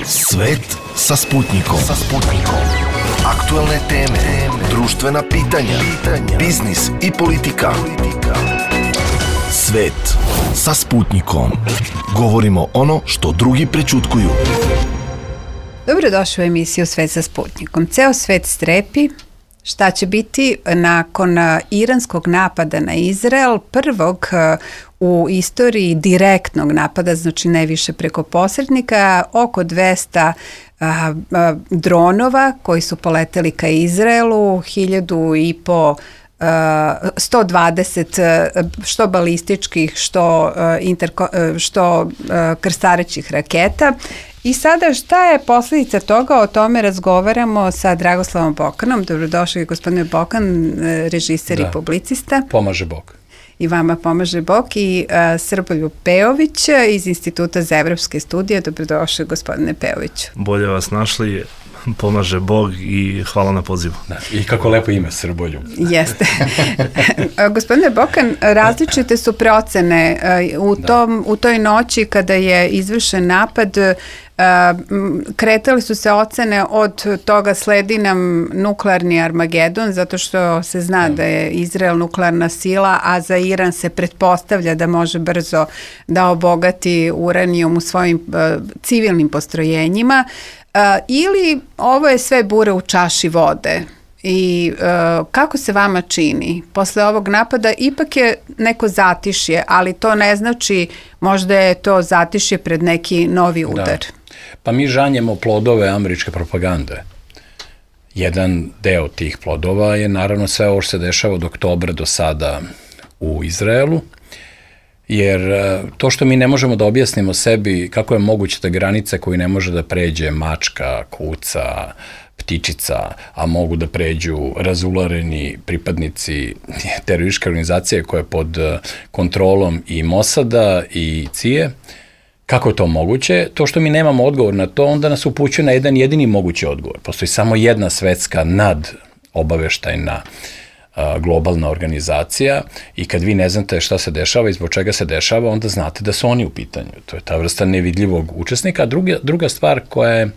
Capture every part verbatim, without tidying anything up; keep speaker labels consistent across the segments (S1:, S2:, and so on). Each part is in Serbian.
S1: Svet sa Sputnikom. Sa Sputnikom. Aktuelne teme, društvena pitanja, biznis i politika. Svet sa Sputnikom. Govorimo ono što drugi prećutkuju.
S2: Dobrodošli u emisiju Svet sa Sputnikom. Ceo svet strepi šta će biti nakon iranskog napada na Izrael, prvog u istoriji direktnog napada, znači ne više preko posrednika, oko dvesta a, a, dronova koji su poleteli ka Izraelu, hiljadu i po Uh, sto dvadeset uh, što balističkih, što, uh, interko, uh, što uh, krstarećih raketa. I sada šta je posljedica toga? O tome razgovaramo sa Dragoslavom Bokanom. Dobrodošli gospodine Bokan, režiser da. i publicista.
S3: Pomaže Bog.
S2: I vama pomaže Bog. I uh, Srboljub Pejović iz Instituta za evropske studije. Dobrodošli gospodine Pejoviću.
S4: Bolje vas našli. Pomaže Bog i hvala na pozivu.
S3: Da, i kako lepo ime, Srboljub.
S2: Jeste. Gospodine Bokan, različite su procene u, tom, u toj noći kada je izvršen napad. Kretali su se ocene od toga sledi nam nuklearni Armagedon, zato što se zna da je Izrael nuklearna sila, a za Iran se pretpostavlja da može brzo da obogati uranijum u svojim uh, civilnim postrojenjima. Uh, ili ovo je sve bure u čaši vode i uh, kako se vama čini posle ovog napada? Ipak je neko zatišje, ali to ne znači možda je to zatišje pred neki novi udar. Da.
S3: Pa mi žanjemo plodove američke propagande. Jedan deo tih plodova je naravno sve ovo što se dešava od oktobra do sada u Izraelu, jer to što mi ne možemo da objasnimo sebi kako je moguće da granice koju ne može da pređe mačka, kuca, ptičica, a mogu da pređu razulareni pripadnici terorističke organizacije koje je pod kontrolom i Mosada i C I A, kako je to moguće? To što mi nemamo odgovor na to, onda nas upućuje na jedan jedini mogući odgovor. Postoji samo jedna svetska nadobaveštajna globalna organizacija i kad vi ne znate šta se dešava i zbog čega se dešava, onda znate da su oni u pitanju. To je ta vrsta nevidljivog učesnika. A druga, druga stvar koja je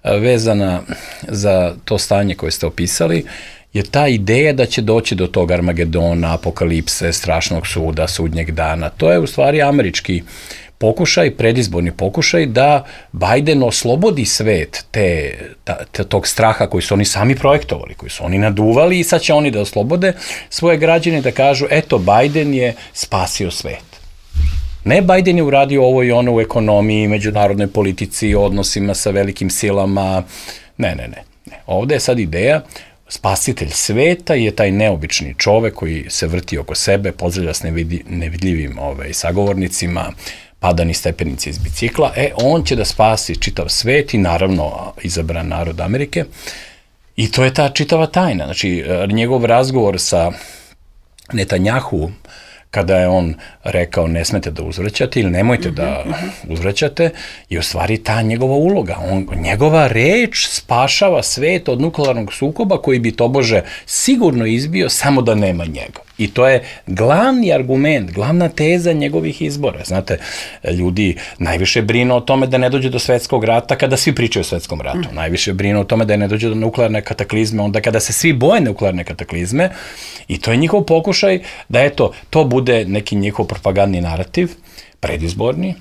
S3: vezana za to stanje koje ste opisali je ta ideja da će doći do tog Armagedona, apokalipse, strašnog suda, sudnjeg dana. To je u stvari američki pokušaj, predizborni pokušaj da Biden oslobodi svet te, ta, te, tog straha koji su oni sami projektovali, koji su oni naduvali i sad će oni da oslobode svoje građane da kažu eto Biden je spasio svet. Ne Biden je uradio ovo i ono u ekonomiji, međunarodnoj politici, odnosima sa velikim silama, ne, ne, ne. ne. Ovde je sad ideja spasitelj sveta je taj neobični čovek koji se vrti oko sebe, pozdravlja s nevidi, nevidljivim ovaj, sagovornicima, padani stepenici iz bicikla, e, on će da spasi čitav svet i naravno izabran narod Amerike i to je ta čitava tajna. Znači, njegov razgovor sa Netanjahu, kada je on rekao ne smete da uzvraćate ili nemojte da uzvraćate, je u stvari ta njegova uloga. On, njegova reč spašava svet od nuklearnog sukoba koji bi tobože sigurno izbio samo da nema njega. I to je glavni argument, glavna teza njegovih izbora. Znate, ljudi najviše brinu o tome da ne dođe do svetskog rata kada svi pričaju o svetskom ratu. Mm. Najviše brinu o tome da ne dođe do nuklearne kataklizme onda kada se svi boje nuklearne kataklizme i to je njihov pokušaj da eto, to bude neki njihov propagandni narativ, predizborni,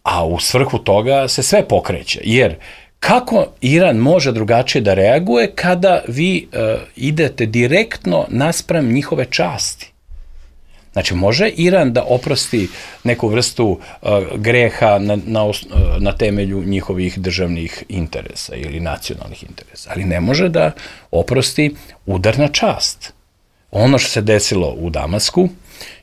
S3: a u svrhu toga se sve pokreće. Jer kako Iran može drugačije da reaguje kada vi uh, idete direktno naspram njihove časti? Znači, može Iran da oprosti neku vrstu uh, greha na, na, uh, na temelju njihovih državnih interesa ili nacionalnih interesa, ali ne može da oprosti udar na čast. Ono što se desilo u Damasku,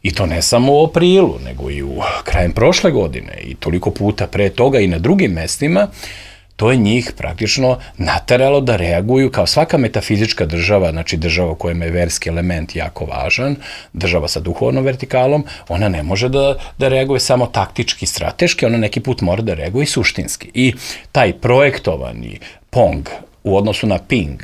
S3: i to ne samo u aprilu, nego i u krajem prošle godine i toliko puta pre toga i na drugim mestima, to je njih praktično nateralo da reaguju kao svaka metafizička država, znači država u kojem je verski element jako važan, država sa duhovnom vertikalom, ona ne može da, da reaguje samo taktički, strateški, ona neki put mora da reaguje i suštinski. I taj projektovani pong u odnosu na ping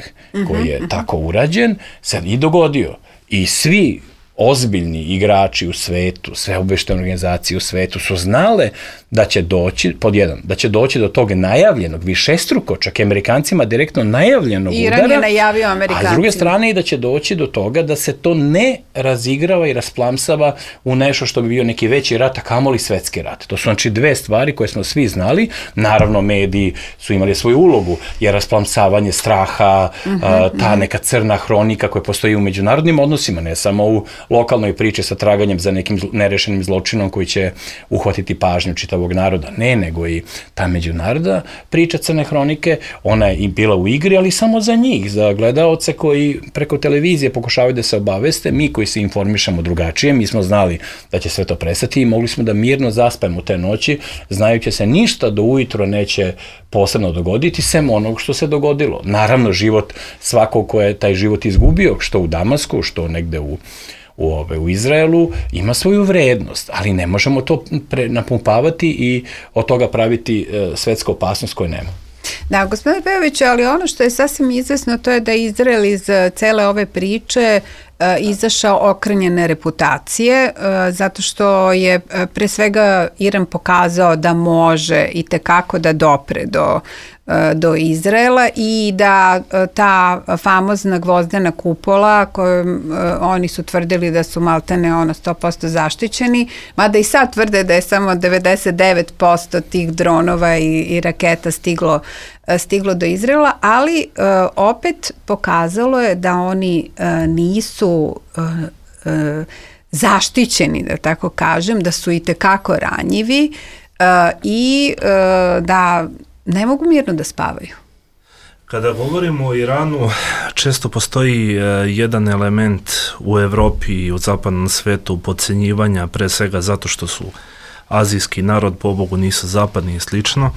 S3: koji je tako urađen, se i dogodio. I svi ozbiljni igrači u svetu, sve obavještajne organizacije u svetu su znale da će doći, pod jedan, da će doći do tog najavljenog, višestruko, čak i Amerikancima direktno najavljenog
S2: Iran
S3: udara.
S2: Iran je najavio Amerikancima.
S3: A s druge strane i da će doći do toga da se to ne razigrava i rasplamsava u nešto što bi bio neki veći rat, a kamoli svetski rat. To su znači dve stvari koje smo svi znali. Naravno, mediji su imali svoju ulogu, jer rasplamsavanje straha, mm-hmm, a, ta neka crna hronika koja postoji u međunarodnim odnosima, ne samo u lokalnoj priči sa traganjem za nekim nerešenim zločinom koji će uhvatiti pažnju čitavog naroda. Ne, nego i ta međunarodna priča crne hronike, ona je i bila u igri, ali samo za njih, za gledaoce koji preko televizije pokušavaju da se obaveste, mi koji se informišemo drugačije, mi smo znali da će sve to prestati i mogli smo da mirno zaspemo te noći, znajući se ništa do ujutro neće posebno dogoditi, sem onog što se dogodilo. Naravno, život svakog ko je taj život izgubio, što u Damasku, što negde u U, ove, u Izraelu, ima svoju vrednost, ali ne možemo to pre, napumpavati i od toga praviti e, svetsku opasnost koju nema.
S2: Da, gospodine Pejoviću, ali ono što je sasvim izvesno to je da Izrael iz cele ove priče e, izašao okrnjene reputacije, e, zato što je e, pre svega Iran pokazao da može i tekako da dopre do do Izraela i da ta famozna gvozdena kupola koju oni su tvrdili da su maltene ono sto posto zaštićeni, mada i sad tvrde da je samo devedeset devet posto tih dronova i, i raketa stiglo, stiglo do Izraela, ali opet pokazalo je da oni nisu zaštićeni, da tako kažem, da su i tekako ranjivi i da ne mogu mirno da spavaju.
S4: Kada govorimo o Iranu, često postoji uh, jedan element u Evropi i u zapadnom svetu podcenjivanja, pre svega zato što su azijski narod, pobogu nisu zapadni i slično.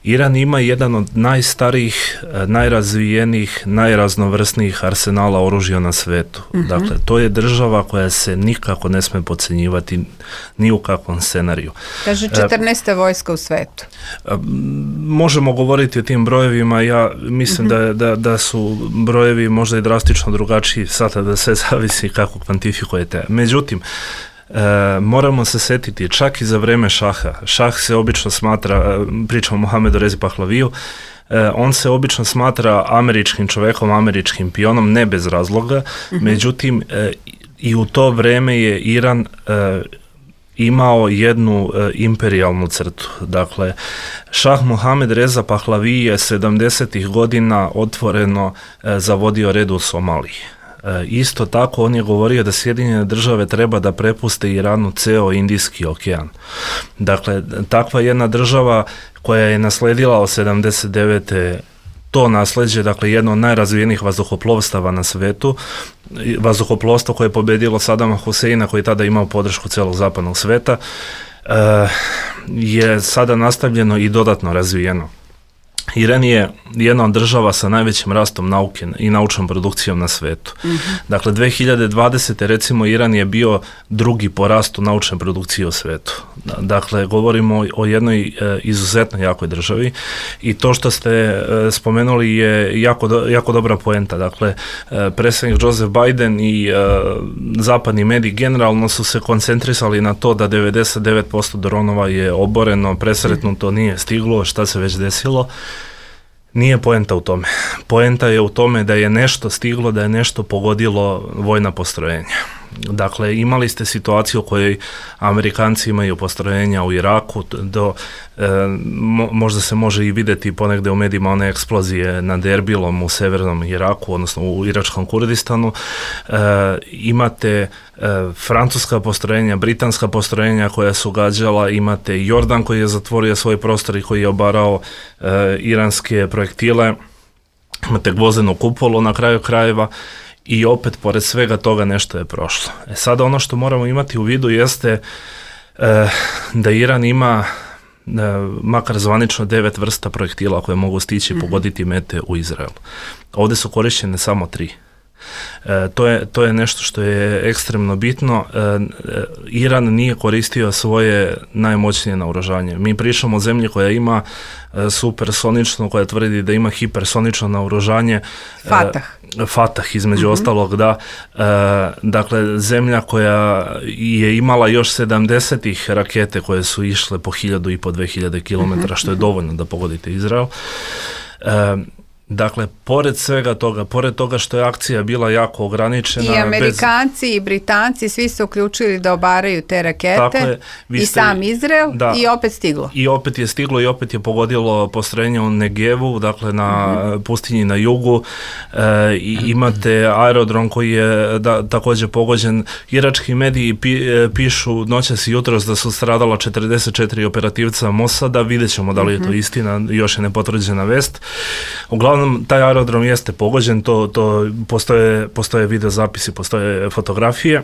S4: Iran ima jedan od najstarijih, najrazvijenijih, najraznovrsnijih arsenala oružja na svetu. Mm-hmm. Dakle, to je država koja se nikako ne sme podcenjivati ni u kakvom scenariju.
S2: Kaže četrnaesta vojska u svetu.
S4: Možemo govoriti o tim brojevima, ja mislim mm-hmm. da, da, da su brojevi možda i drastično drugačiji, sada da sve zavisi kako kvantifikujete. Međutim, E, moramo se setiti čak i za vreme šaha. Šah se obično smatra, pričamo o Mohamedu Rezi Pahlaviju, e, on se obično smatra američkim čovekom, američkim pionom, ne bez razloga. Mm-hmm. Međutim, e, i u to vreme je Iran e, imao jednu e, imperijalnu crtu. Dakle, šah Mohamed Reza Pahlavi je sedamdesetih godina otvoreno e, zavodio red u Somaliji. E, isto tako on je govorio da Sjedinjene države treba da prepuste Iranu ceo Indijski okean. Dakle, takva jedna država koja je nasledila od sedamdeset devete to nasleđe, dakle jedno od najrazvijenijih vazduhoplovstava na svetu, vazduhoplovstvo koje je pobedilo Sadama Huseina, koji je tada imao podršku celog zapadnog sveta, e, je sada nastavljeno i dodatno razvijeno. Iran je jedna od država sa najvećim rastom nauke i naučnom produkcijom na svetu. Mm-hmm. Dakle, dve hiljade dvadesete recimo Iran je bio drugi po rastu naučne produkcije u svetu. Dakle, govorimo o jednoj e, izuzetno jakoj državi i to što ste e, spomenuli je jako, do, jako dobra poenta. Dakle, e, predsjednik Joseph Biden i e, zapadni mediji generalno su se koncentrisali na to da devedeset devet posto dronova je oboreno, presretnuto, nije stiglo, šta se već desilo. Nije poenta u tome. Poenta je u tome da je nešto stiglo, da je nešto pogodilo vojna postrojenja. Dakle, imali ste situaciju u kojoj Amerikanci imaju postrojenja u Iraku, do, e, mo, možda se može i vidjeti ponegde u medijima one eksplozije nad Erbilom u severnom Iraku, odnosno u iračkom Kurdistanu. E, imate e, francuska postrojenja, britanska postrojenja koja su gađala, imate Jordan koji je zatvorio svoj prostor i koji je obarao e, iranske projektile, imate gvozdenu kupolu na kraju krajeva. I opet, pored svega toga, nešto je prošlo. E sada ono što moramo imati u vidu jeste e, da Iran ima e, makar zvanično devet vrsta projektila koje mogu stići i pogoditi mete u Izraelu. Ovdje su korišćene samo tri. E, to, je, to je nešto što je ekstremno bitno. E, e, Iran nije koristio svoje najmoćnije naoružanje. Mi pričamo o zemlji koja ima e, supersonično, koja tvrdi da ima hipersonično naoružanje.
S2: Fatah.
S4: E, Fatah između mm-hmm. ostalog, da. E, dakle, zemlja koja je imala još sedamdesetih rakete koje su išle po hiljadu i po dve hiljade kilometara, mm-hmm. što je dovoljno da pogodite Izrael. E, Dakle, pored svega toga, pored toga što je akcija bila jako ograničena...
S2: I Amerikanci bez... i Britanci svi su uključili da obaraju te rakete je, i ste... sam Izrael da, i opet stiglo.
S4: I opet je stiglo i opet je pogodilo postrojenje u Negevu, dakle na mm-hmm. pustinji na jugu. E, i imate aerodrom koji je da, također pogođen. Irački mediji pi, pišu noćas i jutros da su stradala četrdeset četiri operativca Mosada. Vidjet ćemo da li je to mm-hmm. istina, još je nepotvrđena vest. Uglavnom, taj aerodrom jeste pogođen, to, to postoje, postoje videozapisi, postoje fotografije. E,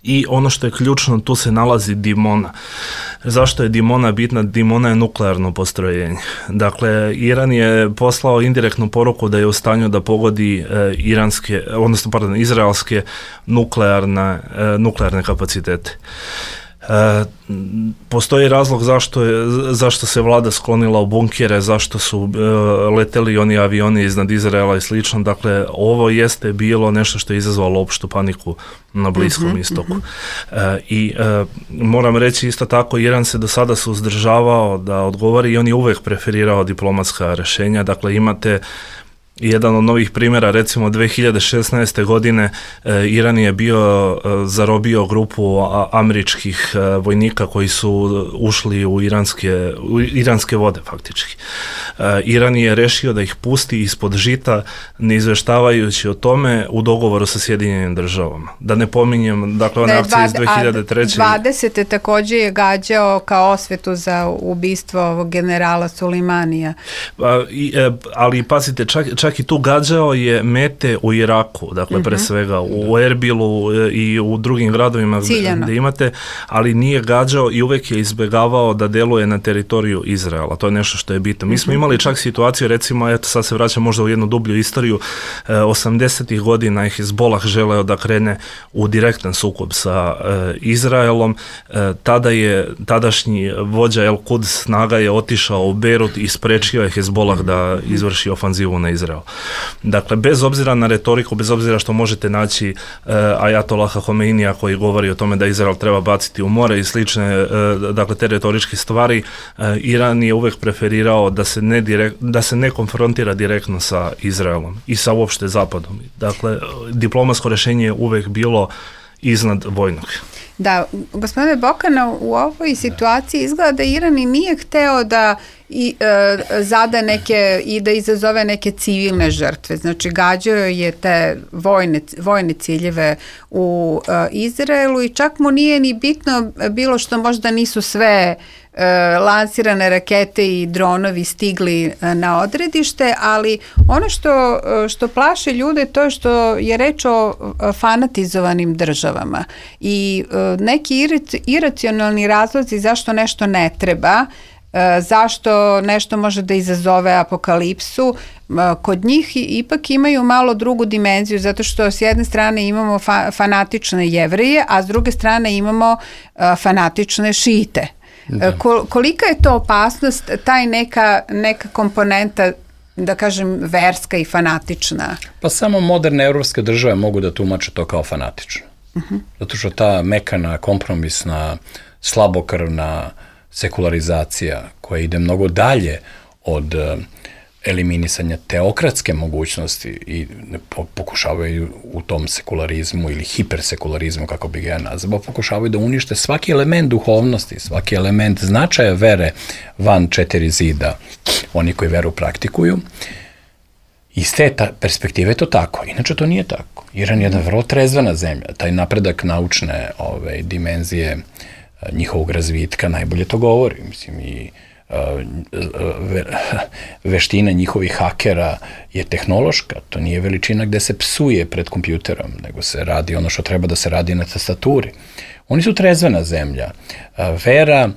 S4: I ono što je ključno, tu se nalazi Dimona. Zašto je Dimona bitna? Dimona je nuklearno postrojenje. Dakle, Iran je poslao indirektnu poruku da je u stanju da pogodi e, iranske, odnosno, pardon, izraelske nuklearne, e, nuklearne kapacitete. E, postoji razlog zašto, je, zašto se vlada sklonila u bunkere, zašto su e, leteli oni avioni iznad Izraela i slično. Dakle, ovo jeste bilo nešto što je izazvalo opštu paniku na Bliskom mm-hmm, istoku. Mm-hmm. E, I e, moram reći isto tako, Iran se do sada suzdržavao da odgovori i on je uvijek preferirao diplomatska rješenja. Dakle, imate jedan od novih primjera, recimo dve hiljade šesnaeste. godine e, Iran je bio e, zarobio grupu a, američkih e, vojnika koji su ušli u iranske, u iranske vode faktički. E, Iran je rešio da ih pusti ispod žita, ne izveštavajući o tome u dogovoru sa Sjedinjenim državama. Da ne pominjem, dakle, one akcije iz dve hiljade treće.
S2: dvadesete. također je gađao kao osvetu za ubistvo ovog generala Sulejmanija.
S4: A, i, e, ali pazite, čak, čak i tu gađao je mete u Iraku, dakle mm-hmm. pre svega u Erbilu i u drugim gradovima
S2: Ciljano.
S4: Gdje imate, ali nije gađao i uvijek je izbjegavao da deluje na teritoriju Izraela. To je nešto što je bitno. Mi smo imali čak situaciju, recimo, eto sad se vraćam možda u jednu dublju istoriju, e, osamdesetih godina je Hezbollah želeo da krene u direktan sukob sa e, Izraelom. E, tada je tadašnji vođa El Quds snaga je otišao u Beirut i sprečio je Hezbollah da izvrši ofanzivu na Izrael. Dakle, bez obzira na retoriku, bez obzira što možete naći uh, Ajatolaha Homeinija koji govori o tome da Izrael treba baciti u more i slične, uh, dakle, te retoričke stvari, uh, Iran je uvijek preferirao da se, ne direkt, da se ne konfrontira direktno sa Izraelom i sa uopšte Zapadom. Dakle, diplomatsko rješenje je uvijek bilo iznad vojnog.
S2: Da, gospodine Bokana, u ovoj situaciji izgleda da Iran i nije hteo da i e, zada neke i da izazove neke civilne žrtve. Znači, gađao je te vojne, vojne ciljeve u e, Izraelu i čak mu nije ni bitno bilo što možda nisu sve e, lansirane rakete i dronovi stigli e, na odredište, ali ono što, što plaše ljude to je što je reč o fanatizovanim državama i e, neki irit, iracionalni razlozi zašto nešto ne treba, E, zašto nešto može da izazove apokalipsu, e, kod njih ipak imaju malo drugu dimenziju, zato što s jedne strane imamo fa- fanatične Jevreje, a s druge strane imamo e, fanatične Šite. E, kol- kolika je to opasnost, taj neka, neka komponenta, da kažem, verska i fanatična?
S3: Pa samo moderne evropske države mogu da tumače to kao fanatično. Uh-huh. Zato što ta mekana, kompromisna, slabokrvna sekularizacija koja ide mnogo dalje od uh, eliminisanja teokratske mogućnosti i po, pokušavaju u tom sekularizmu ili hipersekularizmu, kako bi ga ja nazvao, pokušavaju da unište svaki element duhovnosti, svaki element značaja vere van četiri zida, oni koji veru praktikuju. Iz te ta perspektive je to tako, inače to nije tako. Iran je jedna vrlo trezvena zemlja, taj napredak naučne ove, dimenzije njihovog razvitka najbolje to govori. Mislim, i uh, ve, veština njihovih hakera je tehnološka, to nije veličina gde se psuje pred kompjuterom, nego se radi ono što treba da se radi na tastaturi. Oni su trezvena zemlja. Uh, vera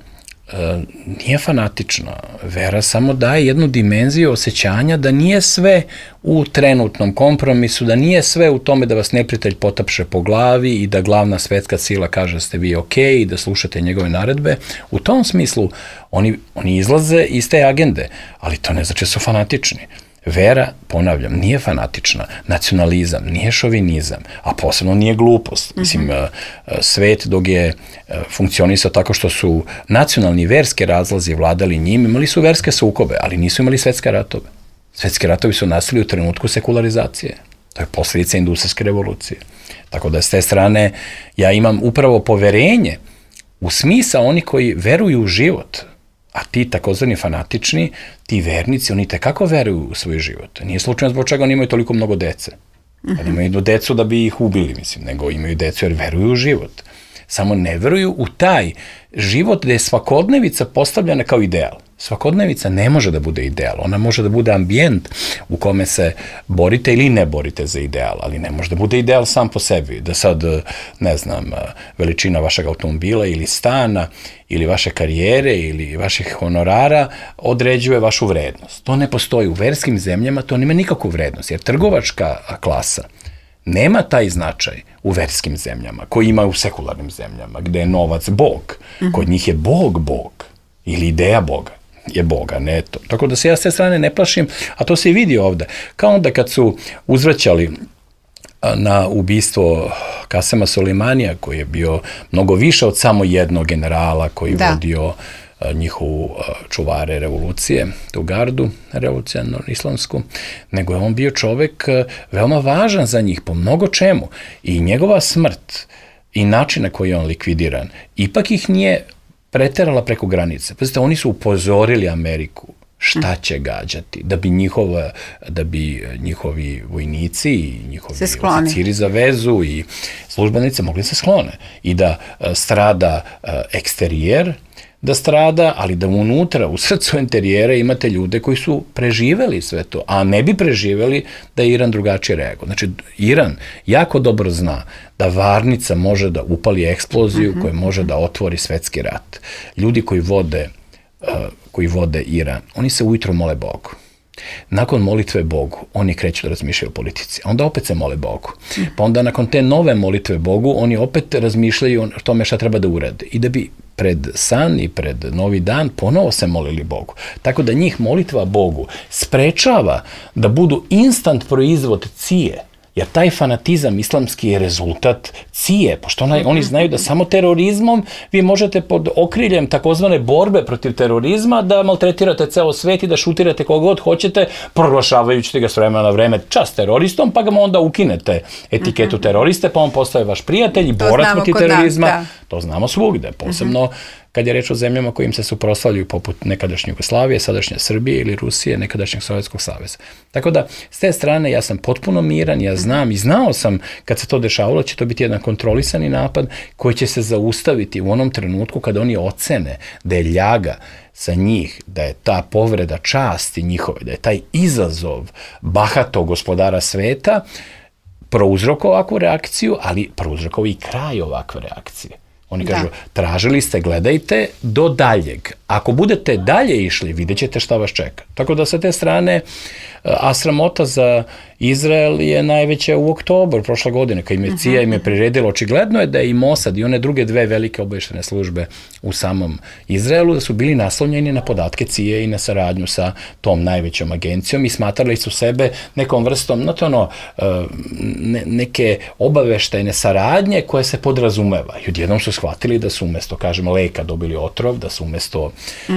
S3: nije fanatična. Vera samo daje jednu dimenziju osjećanja da nije sve u trenutnom kompromisu, da nije sve u tome da vas neprijatelj potapše po glavi i da glavna svetska sila kaže da ste vi ok i da slušate njegove naredbe. U tom smislu oni, oni izlaze iz te agende, ali to ne znači da su fanatični. Vera, ponavljam, nije fanatična, nacionalizam, nije šovinizam, a posebno nije glupost. Mislim, svet dok je funkcionisao tako što su nacionalni i verske razlazi vladali njim, imali su verske sukobe, ali nisu imali svetske ratove. Svetski ratovi su nastali u trenutku sekularizacije. To je posljedica industrijske revolucije. Tako da s te strane ja imam upravo poverenje u smisao oni koji veruju u život, a ti takozvani fanatični, ti vernici, oni tekako veruju u svoj život. Nije slučajno zbog čega oni imaju toliko mnogo dece. Oni imaju decu da bi ih ubili, mislim, nego imaju decu jer veruju u život. Samo ne veruju u taj život gde je svakodnevica postavljena kao ideal. Svakodnevica ne može da bude ideal, ona može da bude ambijent u kome se borite ili ne borite za ideal, ali ne može da bude ideal sam po sebi, da sad, ne znam, veličina vašeg automobila ili stana ili vaše karijere ili vaših honorara određuje vašu vrednost. To ne postoji. U verskim zemljama to nema nikakvu vrednost, jer trgovačka klasa nema taj značaj u verskim zemljama, koji ima u sekularnim zemljama, gde je novac Bog. Kod njih je Bog Bog ili ideja Boga je Boga, ne to. Tako da se ja s te strane ne plašim, a to se i vidi ovde. Kao onda kad su uzvraćali na ubistvo Kasema Soleimanija, koji je bio mnogo više od samo jednog generala koji da. vodio njihovu čuvare revolucije, tu gardu revolucionarnu islamsku, nego je on bio čovek veoma važan za njih po mnogo čemu. I njegova smrt i način na koji je on likvidiran, ipak ih nije preterala preko granice. Pazite, oni su upozorili Ameriku šta će gađati, da bi njihova, da bi njihovi vojnici i njihovi oficiri za vezu i službenice mogli se sklone i da strada eksterijer, da strada, ali da unutra, u srcu interijera imate ljude koji su preživeli sve to, a ne bi preživeli da je Iran drugačije reagovao. Znači, Iran jako dobro zna da varnica može da upali eksploziju uh-huh. koja može da otvori svetski rat. Ljudi koji vode, uh, koji vode Iran, oni se ujutro mole Bogu. Nakon molitve Bogu, oni kreću da razmišljaju o politici. Onda opet se mole Bogu. Pa onda nakon te nove molitve Bogu, oni opet razmišljaju o tome šta treba da urade. I da bi pred san i pred novi dan ponovo se molili Bogu. Tako da njih molitva Bogu sprečava da budu instant proizvod cije. Jer taj fanatizam islamski je rezultat cije, pošto onaj, oni znaju da samo terorizmom vi možete pod okriljem takozvane borbe protiv terorizma da maltretirate ceo svet i da šutirate kogod hoćete, proglašavajući ga s vremena na vreme čast teroristom, pa ga onda ukinete etiketu teroriste, pa on postaje vaš prijatelj i borac protiv terorizma. Da. To znamo svugde, posebno kad je reč o zemljama kojim se suprotstavljaju poput nekadašnje Jugoslavije, sadašnje Srbije ili Rusije, nekadašnjeg Sovjetskog saveza. Tako da, s te strane, ja sam potpuno miran, ja znam i znao sam kad se to dešavalo, će to biti jedan kontrolisani napad koji će se zaustaviti u onom trenutku kada oni ocene da je ljaga sa njih, da je ta povreda časti njihove, da je taj izazov bahatog gospodara sveta prouzrokovao ovakvu reakciju, ali prouzrokovao i kraj ovakve reakcije. Oni kažu, da. tražili ste, gledajte, do daljeg. Ako budete dalje išli, vidjet ćete šta vas čeka. Tako da sa te strane, a sramota za Izrael je najveća u oktobru prošle godine, kad im je C I A im je priredilo. Očigledno je da je i Mossad i one druge dve velike obavještajne službe u samom Izraelu, da su bili naslonjeni na podatke C I A i na saradnju sa tom najvećom agencijom i smatrali su sebe nekom vrstom, znate ono, ne, neke obavještajne saradnje koje se podrazumeva. I odjednom su shvatili da su umesto, kažem, leka dobili otrov, da su umesto uh,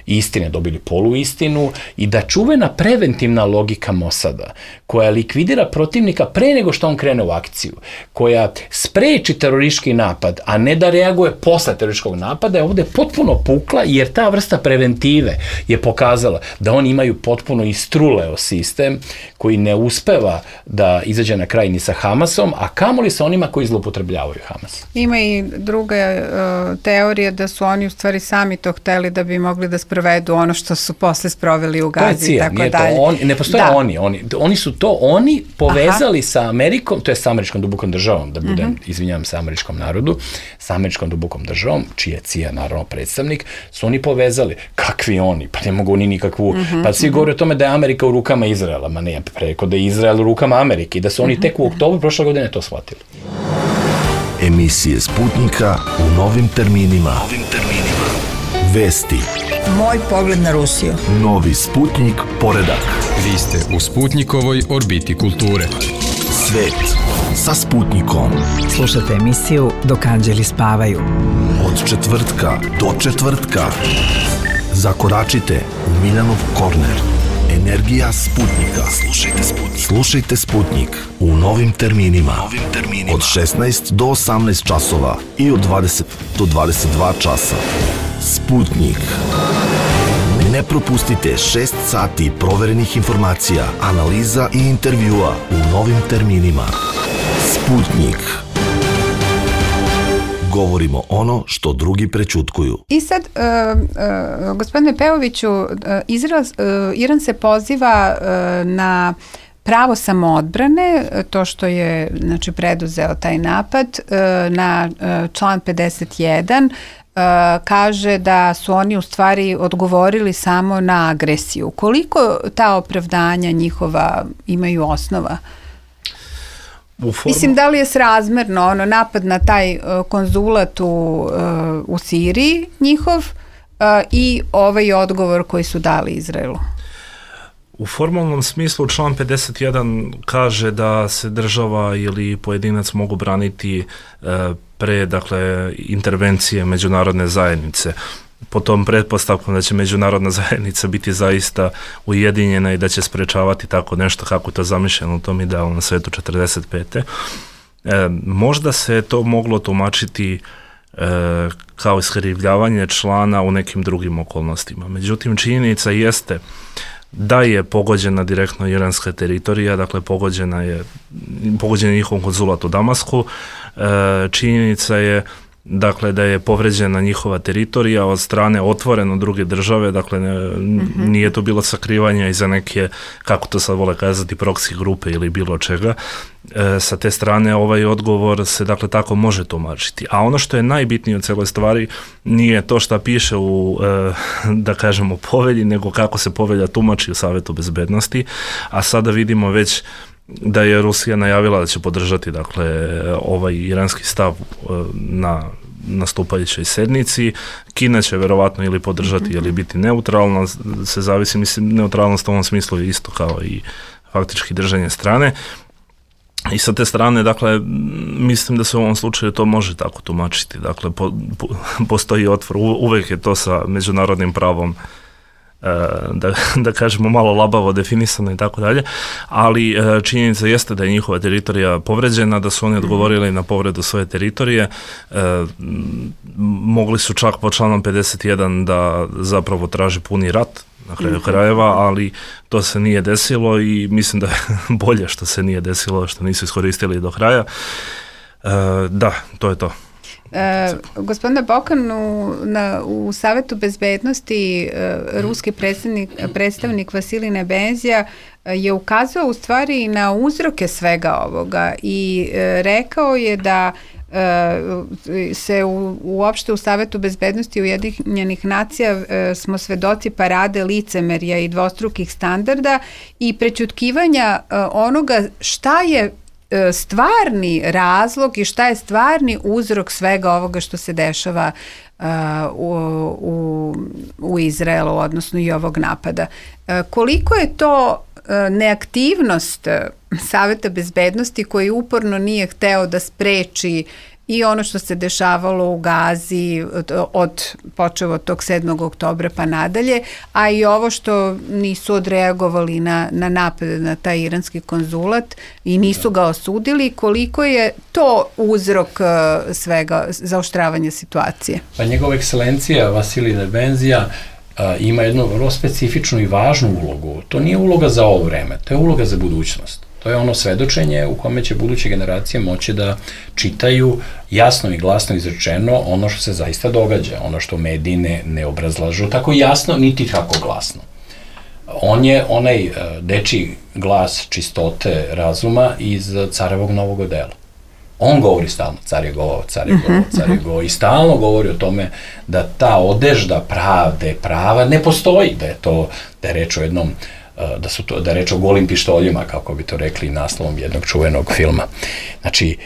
S3: istine dobili poluistinu i da čuvena preventivna logika Mossada, koja likvidira protivnika pre nego što on krene u akciju, koja spreči teroristički napad, a ne da reaguje posle terorističkog napada, je ovde potpuno pukla, jer ta vrsta preventive je pokazala da oni imaju potpuno istruleo sistem koji ne uspeva da izađe na kraj ni sa Hamasom, a kamoli sa onima koji zloupotrebljavaju Hamas.
S2: Ima i druga uh, teorija da su oni u stvari sami to hteli da bi mogli da sprovedu ono što su posle sproveli u Gazi i tako dalje.
S3: On, ne postoje da. oni, oni. Oni su to oni povezali Aha. sa Amerikom, to je sa američkom dubokom državom, da budem, mm-hmm. izvinjam se američkom narodu, sa američkom dubokom državom, čiji je C I A naravno predstavnik, su oni povezali. Kakvi oni? Pa ne mogu oni nikakvu... Mm-hmm. Pa svi govore o tome da je Amerika u rukama Izraela, ma ne, preko da je Izrael u rukama Amerike i da su oni mm-hmm. tek u oktobru prošle godine to shvatili.
S1: Emisije Sputnika u novim terminima. Novim terminima. Vesti.
S5: Moj pogled na Rusiju.
S1: Novi Sputnik poredak.
S6: Vi ste u Sputnikovoj orbiti kulture.
S1: Svet sa Sputnikom.
S5: Slušajte emisiju Dok anđeli spavaju.
S1: Od četvrtka do četvrtka. Zakoračite u Miljanov korner. Energija Sputnika. Slušajte Sputnik. Slušajte Sputnik u novim terminima. Novim terminima. Od šesnaest do osamnaest časova i od dvadeset do dvadeset dva časa. Sputnik. Ne propustite šest sati proverenih informacija, analiza i intervjua u novim terminima. Sputnik. Govorimo ono što drugi prećutkuju.
S2: I sad, uh, uh, gospodine Pejoviću, uh, Izrael, uh, Iran se poziva uh, na pravo samoodbrane, to što je znači, preduzeo taj napad, uh, na uh, član pedeset jedan, Uh, kaže da su oni u stvari odgovorili samo na agresiju. Koliko ta opravdanja njihova imaju osnova? U formu... Mislim, da li je srazmerno ono, napad na taj uh, konzulat u, uh, u Siriji njihov uh, i ovaj odgovor koji su dali Izraelu?
S4: U formalnom smislu član pedeset jedan kaže da se država ili pojedinac mogu braniti uh, pre, dakle, intervencije međunarodne zajednice. Po tom pretpostavkom da će međunarodna zajednica biti zaista ujedinjena i da će sprečavati tako nešto kako je to zamišljeno u tom idealnom svetu četrdeset pete. E, možda se to moglo tumačiti e, kao iskrivljavanje člana u nekim drugim okolnostima. Međutim, činjenica jeste da je pogođena direktno iranska teritorija, dakle pogođena je, pogođen je njihov konzulat u Damasku, e, činjenica je dakle da je povređena njihova teritorija od strane otvoreno druge države, dakle ne, mm-hmm. nije to bilo sakrivanje iza neke, kako to sad vole kazati, proksi grupe ili bilo čega. E, sa te strane ovaj odgovor se dakle tako može tumačiti. A ono što je najbitnije od celoj stvari nije to što piše u, e, da kažemo, povelji, nego kako se povelja tumači u Savetu bezbednosti, a sada vidimo već da je Rusija najavila da će podržati dakle ovaj iranski stav na nastupajućoj sednici. Kina će verovatno ili podržati ili biti neutralna, se zavisi, mislim, neutralnost u ovom smislu je isto kao i faktički držanje strane. I sa te strane, dakle, mislim da se u ovom slučaju to može tako tumačiti. Dakle, po, po, postoji otvor, uvek je to sa međunarodnim pravom Da, da kažemo malo labavo definisano i tako dalje, ali činjenica jeste da je njihova teritorija povređena, da su oni odgovorili na povredu svoje teritorije. E, mogli su čak po članom pedeset jedan da zapravo traže puni rat na kraju krajeva, ali to se nije desilo i mislim da je bolje što se nije desilo, što nisu iskoristili do kraja. E, da, to je to.
S2: E, gospodine Bokan, u, na, u Savetu bezbednosti e, ruski predstavnik, predstavnik Vasilij Nebenzija e, je ukazao u stvari na uzroke svega ovoga i e, rekao je da e, se u, uopšte u Savetu bezbednosti Ujedinjenih nacija e, smo svedoci parade licemerja i dvostrukih standarda i prećutkivanja e, onoga šta je stvarni razlog i šta je stvarni uzrok svega ovoga što se dešava uh, u, u, u Izraelu, odnosno i ovog napada. Uh, koliko je to uh, neaktivnost Saveta bezbednosti koji uporno nije hteo da spreči i ono što se dešavalo u Gazi od, od počeo od tog sedmog oktobra pa nadalje, a i ovo što nisu odreagovali na, na napad na taj iranski konzulat i nisu ga osudili, koliko je to uzrok uh, svega zaoštravanja situacije?
S3: Pa njegova ekscelencija Vasilij Nebenzija uh, ima jednu vrlo specifičnu i važnu ulogu. To nije uloga za ovo vreme, to je uloga za budućnost. To je ono svedočenje u kome će buduće generacije moći da čitaju jasno i glasno izrečeno ono što se zaista događa, ono što mediji ne, ne obrazlažu tako jasno, niti tako glasno. On je onaj dečiji glas čistote razuma iz Carevog novog odela. On govori stalno, car je govao, car je govao, car je govao i stalno govori o tome da ta odežda pravde, prava ne postoji, da je to, da je reč o jednom, da su to, da je reč o golim pištoljima, kako bi to rekli naslovom jednog čuvenog filma. Znači,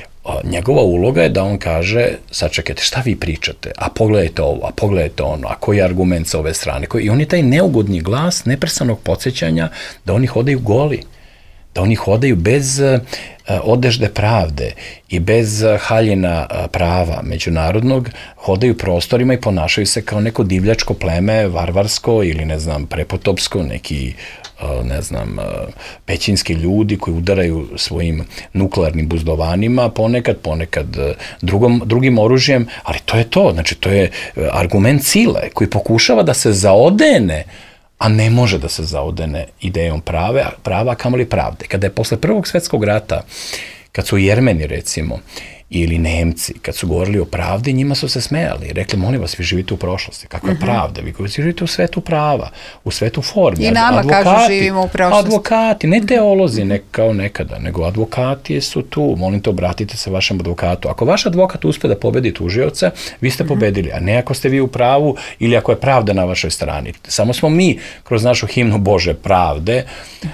S3: njegova uloga je da on kaže, sad čekajte, šta vi pričate, a pogledajte ovo, a pogledajte ono, a koji je argument sa ove strane, koji, i on je taj neugodni glas neprestanog podsjećanja da oni hodaju goli, da oni hodaju bez uh, odežde pravde i bez uh, haljina uh, prava međunarodnog, hodaju prostorima i ponašaju se kao neko divljačko pleme, varvarsko ili ne znam, prepotopsko, neki uh, ne znam, uh, pećinski ljudi koji udaraju svojim nuklearnim buzdovanima, ponekad, ponekad uh, drugom, drugim oružjem, ali to je to, znači to je uh, argument sile koji pokušava da se zaodene, a ne može da se zaodene idejom prave, prava, kamoli pravde. Kada je posle Prvog svetskog rata, kad su Jermeni, recimo, ili Nemci, kad su govorili o pravdi, njima su se smejali. Rekli, molim vas, vi živite u prošlosti. Kakva je pravda? Vi živite u svetu prava, u svetu formi.
S2: I nama
S3: advokati,
S2: kažu živimo u prošlosti.
S3: Advokati, ne teolozi ne, kao nekada, nego advokati su tu. Molim te, obratite se vašem advokatu. Ako vaš advokat uspe da pobedi tužioca, vi ste pobedili, a ne ako ste vi u pravu ili ako je pravda na vašoj strani. Samo smo mi kroz našu himnu Bože pravde,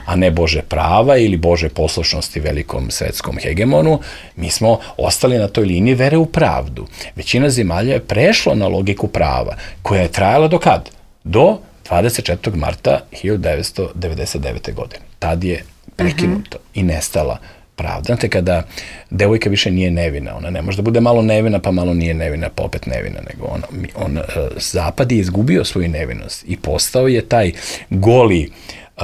S3: a ne Bože prava ili Bože poslušnosti velikom svetskom hegemonu, mi smo ostali na toj liniji vere u pravdu. Većina zemalja je prešlo na logiku prava, koja je trajala do kad? Do dvadeset četvrtog marta hiljadu devetsto devedeset devete. godine. Tad je prekinuta uh-huh. i nestala pravda. Znate, kada devojka više nije nevina, ona ne može da bude malo nevina, pa malo nije nevina, pa opet nevina, nego ona, on, Zapad je izgubio svoju nevinost i postao je taj goli Uh,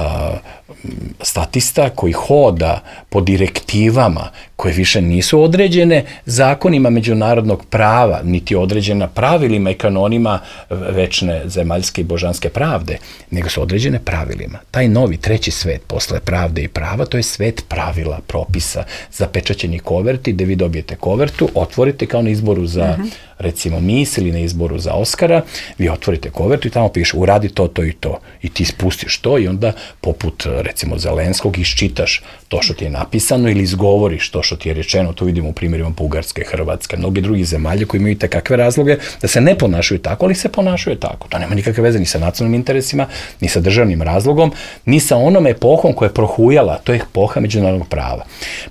S3: statista koji hoda po direktivama koje više nisu određene zakonima međunarodnog prava, niti određena pravilima i kanonima večne zemaljske i božanske pravde, nego su određene pravilima. Taj novi treći svet posle pravde i prava, to je svet pravila, propisa, zapečaćeni koverti, gde vi dobijete kovertu, otvorite kao na izboru za uh-huh. recimo mis ili na izboru za Oskara, vi otvorite kovertu i tamo piše uradi to, to i to. I ti spustiš to i onda poput recimo Zelenskog iščitaš to što ti je napisano ili izgovoriš to što ti je rečeno. To vidimo u primjerima Bugarske, Hrvatske, mnogi drugi zemalje koji imaju takve razloge da se ne ponašaju tako, ali se ponašaju tako. To nema nikakve veze ni sa nacionalnim interesima, ni sa državnim razlogom, ni sa onom epohom koja je prohujala, to je epoha međunarodnog prava.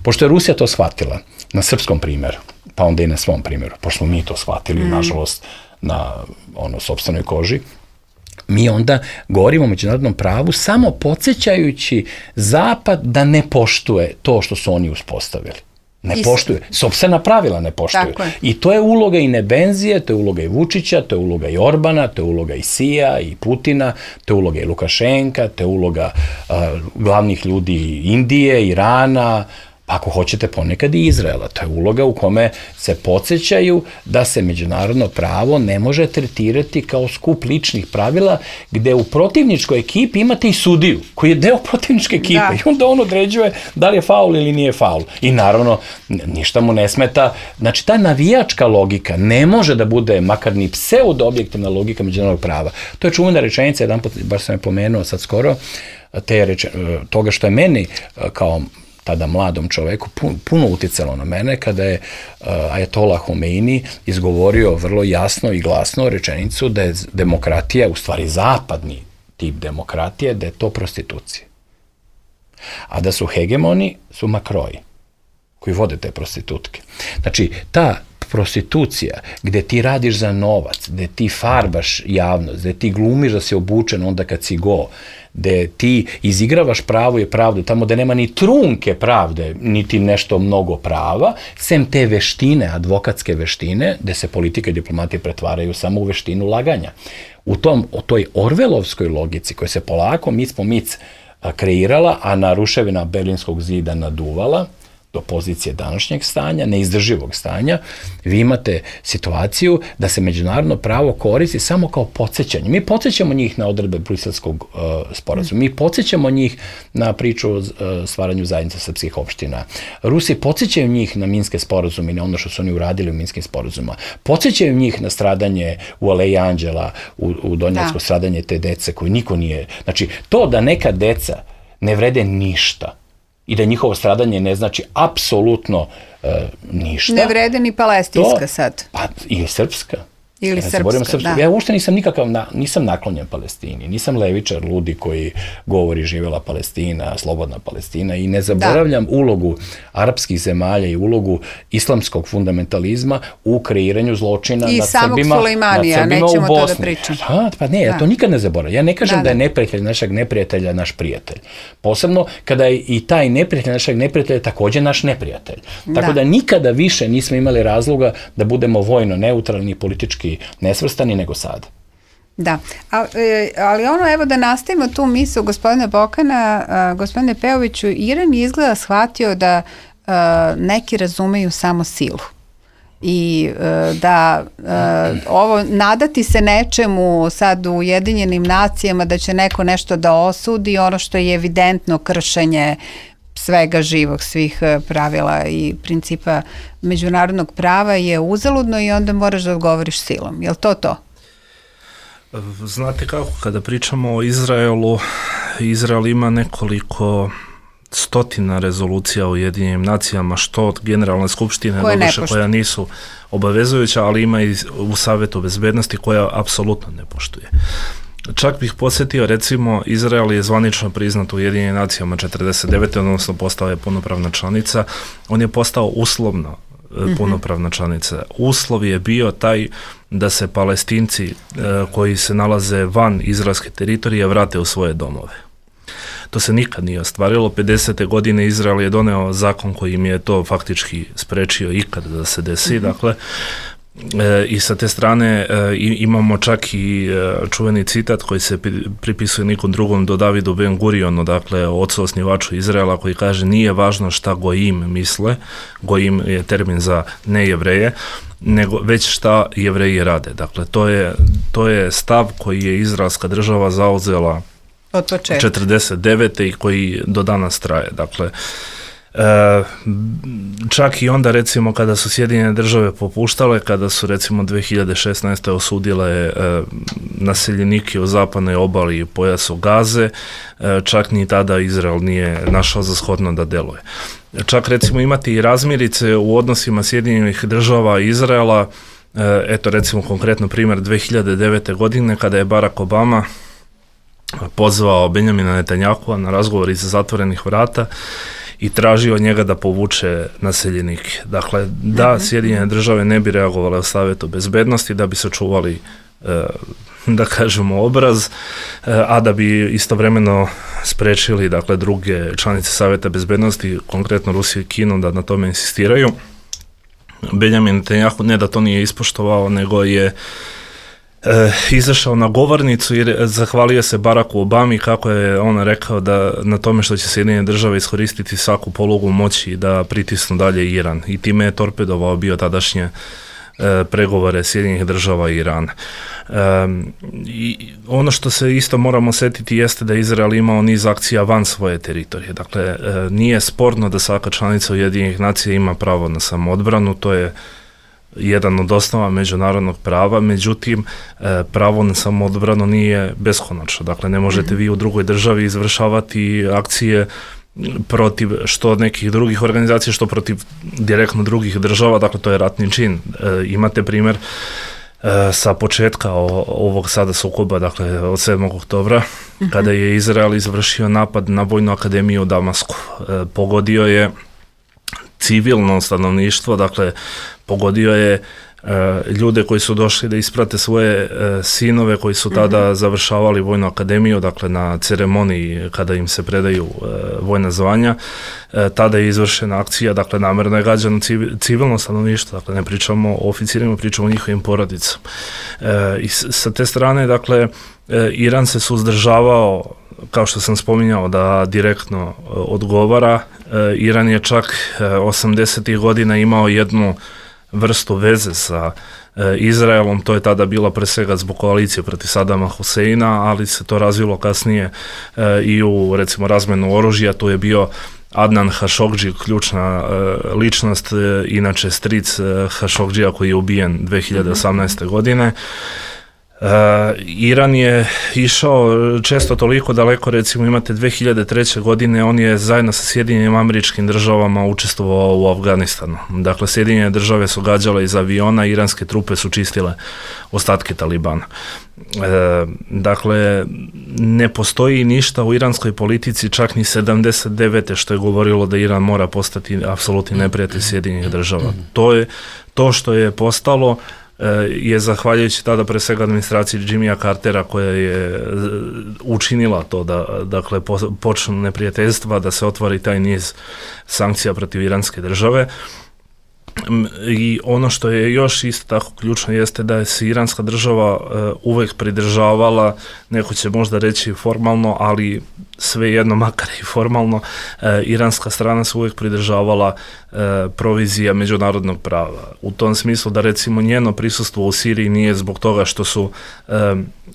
S3: Pošto je Rusija to shvatila na srpskom primjeru, pa onda i na svom primjeru, pošto smo mi to shvatili, mm. nažalost, na ono, sopstvenoj koži, mi onda govorimo o međunarodnom pravu samo podsjećajući Zapad da ne poštuje to što su oni uspostavili. Ne Istina. Poštuje. Sopstvena pravila ne poštuju. I to je uloga i Nebenzije, to je uloga i Vučića, to je uloga i Orbana, to je uloga i Sija i Putina, to je uloga i Lukašenka, to je uloga uh, glavnih ljudi Indije, Irana, ako hoćete ponekad i Izraela. To je uloga u kome se podsjećaju da se međunarodno pravo ne može tretirati kao skup ličnih pravila, gde u protivničkoj ekipi imate i sudiju, koji je deo protivničke ekipe da. I onda on određuje da li je faul ili nije faul. I naravno, ništa mu ne smeta. Znači, ta navijačka logika ne može da bude makar ni pseudo-objektivna logika međunarodnog prava. To je čuvena rečenica, jedan put, bar sam je pomenuo sad skoro, te reče, toga što je meni kao tada mladom čoveku, puno uticalo na mene kada je uh, Ajatola Homeini izgovorio vrlo jasno i glasno rečenicu da je demokratija, u stvari zapadni tip demokratije, da je to prostitucija. A da su hegemoni, su makroji, koji vode te prostitutke. Znači, ta prostitucija, gde ti radiš za novac, gde ti farbaš javnost, gde ti glumiš da si obučen onda kad si go, gde ti izigravaš pravo i pravdu, tamo da nema ni trunke pravde, niti nešto mnogo prava, sem te veštine, advokatske veštine, gde se politika i diplomatija pretvaraju samo u veštinu laganja. U tom, o toj orvelovskoj logici koja se polako mic po mic kreirala, a na ruševina Berlinskog zida naduvala, do pozicije današnjeg stanja, neizdrživog stanja, vi imate situaciju da se međunarodno pravo koristi samo kao podsjećanje. Mi podsjećamo njih na odredbe Briselskog uh, sporazuma, mi podsjećamo njih na priču o uh, stvaranju zajednice srpskih opština. Rusi podsjećaju njih na minske sporazume i na ono što su oni uradili u minskim sporazuma. Podsjećaju njih na stradanje u Aleji Anđela, u, u Donjacku, stradanje te dece koje niko nije... Znači, to da neka deca ne vrede ništa i da njihovo stradanje ne znači apsolutno uh, ništa.
S2: Ne vrede ni palestinska to, sad.
S3: Pa i srpska.
S2: Ili ja srpska, srpska,
S3: da. Ja uopšte nisam nikakav, na, nisam naklonjen Palestini, nisam levičar, ludi koji govori živjela Palestina, slobodna Palestina i ne zaboravljam da. ulogu arapskih zemalja i ulogu islamskog fundamentalizma u kreiranju zločina
S2: I
S3: nad Srbima,
S2: nad Srbima u Bosni. To da pričam.
S3: Ha, pa ne, da. ja to nikad ne zaboravljam. Ja ne kažem da, da. da je neprijatelj našeg neprijatelja naš prijatelj. Posebno kada je i taj neprijatelj našeg neprijatelja također naš neprijatelj. Tako da, da nikada više nismo imali razloga da budemo vojno neutralni i politički nesvrstani nego sad.
S2: Da, A, ali ono, evo da nastavimo tu misao gospodina Bokana, a, gospodine Pejoviću, Iran je izgleda shvatio da a, neki razumeju samo silu i a, da a, ovo nadati se nečemu sad u Ujedinjenim nacijama da će neko nešto da osudi, ono što je evidentno kršenje svega živog, svih pravila i principa međunarodnog prava je uzaludno i onda moraš da odgovoriš silom. Je li to to?
S4: Znate kako, kada pričamo o Izraelu, Izrael ima nekoliko stotina rezolucija u Ujedinjenim nacijama, što od Generalne skupštine doduše koja nisu obavezujuća, ali ima i u Savetu bezbednosti koja apsolutno ne poštuje. Čak bih podsjetio, recimo, Izrael je zvanično priznat u Ujedinjenim nacijama četrdeset devete odnosno postao je punopravna članica. On je postao uslovno mm-hmm. punopravna članica. Uslov je bio taj da se Palestinci e, koji se nalaze van izraelske teritorije vrate u svoje domove. To se nikad nije ostvarilo. pedesete godine Izrael je doneo zakon koji im je to faktički sprečio ikad da se desi. Mm-hmm. Dakle, E, i sa te strane e, imamo čak i e, čuveni citat koji se pripisuje nikom drugom do Davidu Ben Gurionu, dakle ocu osnivaču Izraela, koji kaže nije važno šta Gojim misle, Gojim je termin za nejevreje, nego već šta Jevreji rade. Dakle, to je, to je stav koji je izraelska država zauzela
S2: od početka
S4: četrdeset devete i koji do danas traje. Dakle, E, čak i onda recimo kada su Sjedinjene države popuštale, kada su recimo dve hiljade šesnaeste osudile e, naseljenike u zapadnoj obali i pojasu Gaze, e, čak ni tada Izrael nije našao za shodno da deluje. Čak recimo imati i razmirice u odnosima Sjedinjenih država i Izraela, e, eto recimo konkretno primjer dve hiljade devete godine kada je Barack Obama pozvao Benjamina Netanjahua na razgovor iza zatvorenih vrata i tražio od njega da povuče naseljenike. Dakle, da Sjedinjene države ne bi reagovale u Savetu bezbednosti, da bi sačuvali, e, da kažemo, obraz, e, a da bi istovremeno sprečili, dakle, druge članice Saveta bezbednosti, konkretno Rusiju i Kinu, da na tome insistiraju. Benjamin Netanjahu ne da to nije ispoštovao, nego je E, izašao na govornicu i zahvalio se Baracku Obami kako je on rekao da na tome što će Sjedinjene države iskoristiti svaku polugu moći da pritisnu dalje Iran i time je torpedovao bio tadašnje e, pregovore Sjedinjenih država i Irana. E, i ono što se isto moramo setiti jeste da Izrael imao niz akcija van svoje teritorije. Dakle, e, nije sporno da svaka članica Ujedinjenih nacija ima pravo na samoodbranu, to je jedan od osnova međunarodnog prava, međutim pravo na samoodbranu nije beskonačno. Dakle, ne možete vi u drugoj državi izvršavati akcije protiv što nekih drugih organizacija, što protiv direktno drugih država, dakle to je ratni čin. E, imate primjer e, sa početka o, ovog sada sukoba, dakle od sedmog oktobra, uh-huh. kada je Izrael izvršio napad na Vojnu akademiju u Damasku. E, pogodio je civilno stanovništvo, dakle pogodio je ljude koji su došli da isprate svoje sinove koji su tada mm-hmm. završavali vojnu akademiju, dakle na ceremoniji kada im se predaju vojna zvanja. Tada je izvršena akcija, dakle namerno je gađano civilno stanovništvo, dakle ne pričamo o oficirima, pričamo o njihovim porodicama. I sa te strane, dakle, Iran se suzdržavao, kao što sam spominjao, da direktno odgovara. Iran je čak osamdesetih godina imao jednu vrstu veze sa Izraelom, to je tada bila pre svega zbog koalicije protiv Sadama Huseina, ali se to razvilo kasnije i u, recimo, razmenu oružja. Tu je bio Adnan Hašogdži, ključna uh, ličnost, uh, inače stric uh, Hašogdžija koji je ubijen dve hiljade osamnaeste. godine. Uh, Iran je išao često toliko daleko, recimo imate dve hiljade treće. godine, on je zajedno sa Sjedinjenim Američkim Državama učestvovao u Afganistanu. Dakle, Sjedinjene Države su gađale iz aviona, iranske trupe su čistile ostatke Talibana. E, dakle, ne postoji ništa u iranskoj politici, čak ni sedamdeset devete. što je govorilo da Iran mora postati apsolutni neprijatelj Sjedinjenih Država. To je to što je postalo je zahvaljujući tada pre svega administraciji Jimmya Cartera koja je učinila to da, dakle, počnu neprijateljstva, da se otvori taj niz sankcija protiv iranske države. I ono što je još isto tako ključno jeste da je se iranska država uh, uvek pridržavala, neko će možda reći formalno, ali svejedno, makar i formalno, uh, iranska strana se uvek pridržavala uh, provizija međunarodnog prava. U tom smislu da, recimo, njeno prisustvo u Siriji nije zbog toga što su uh,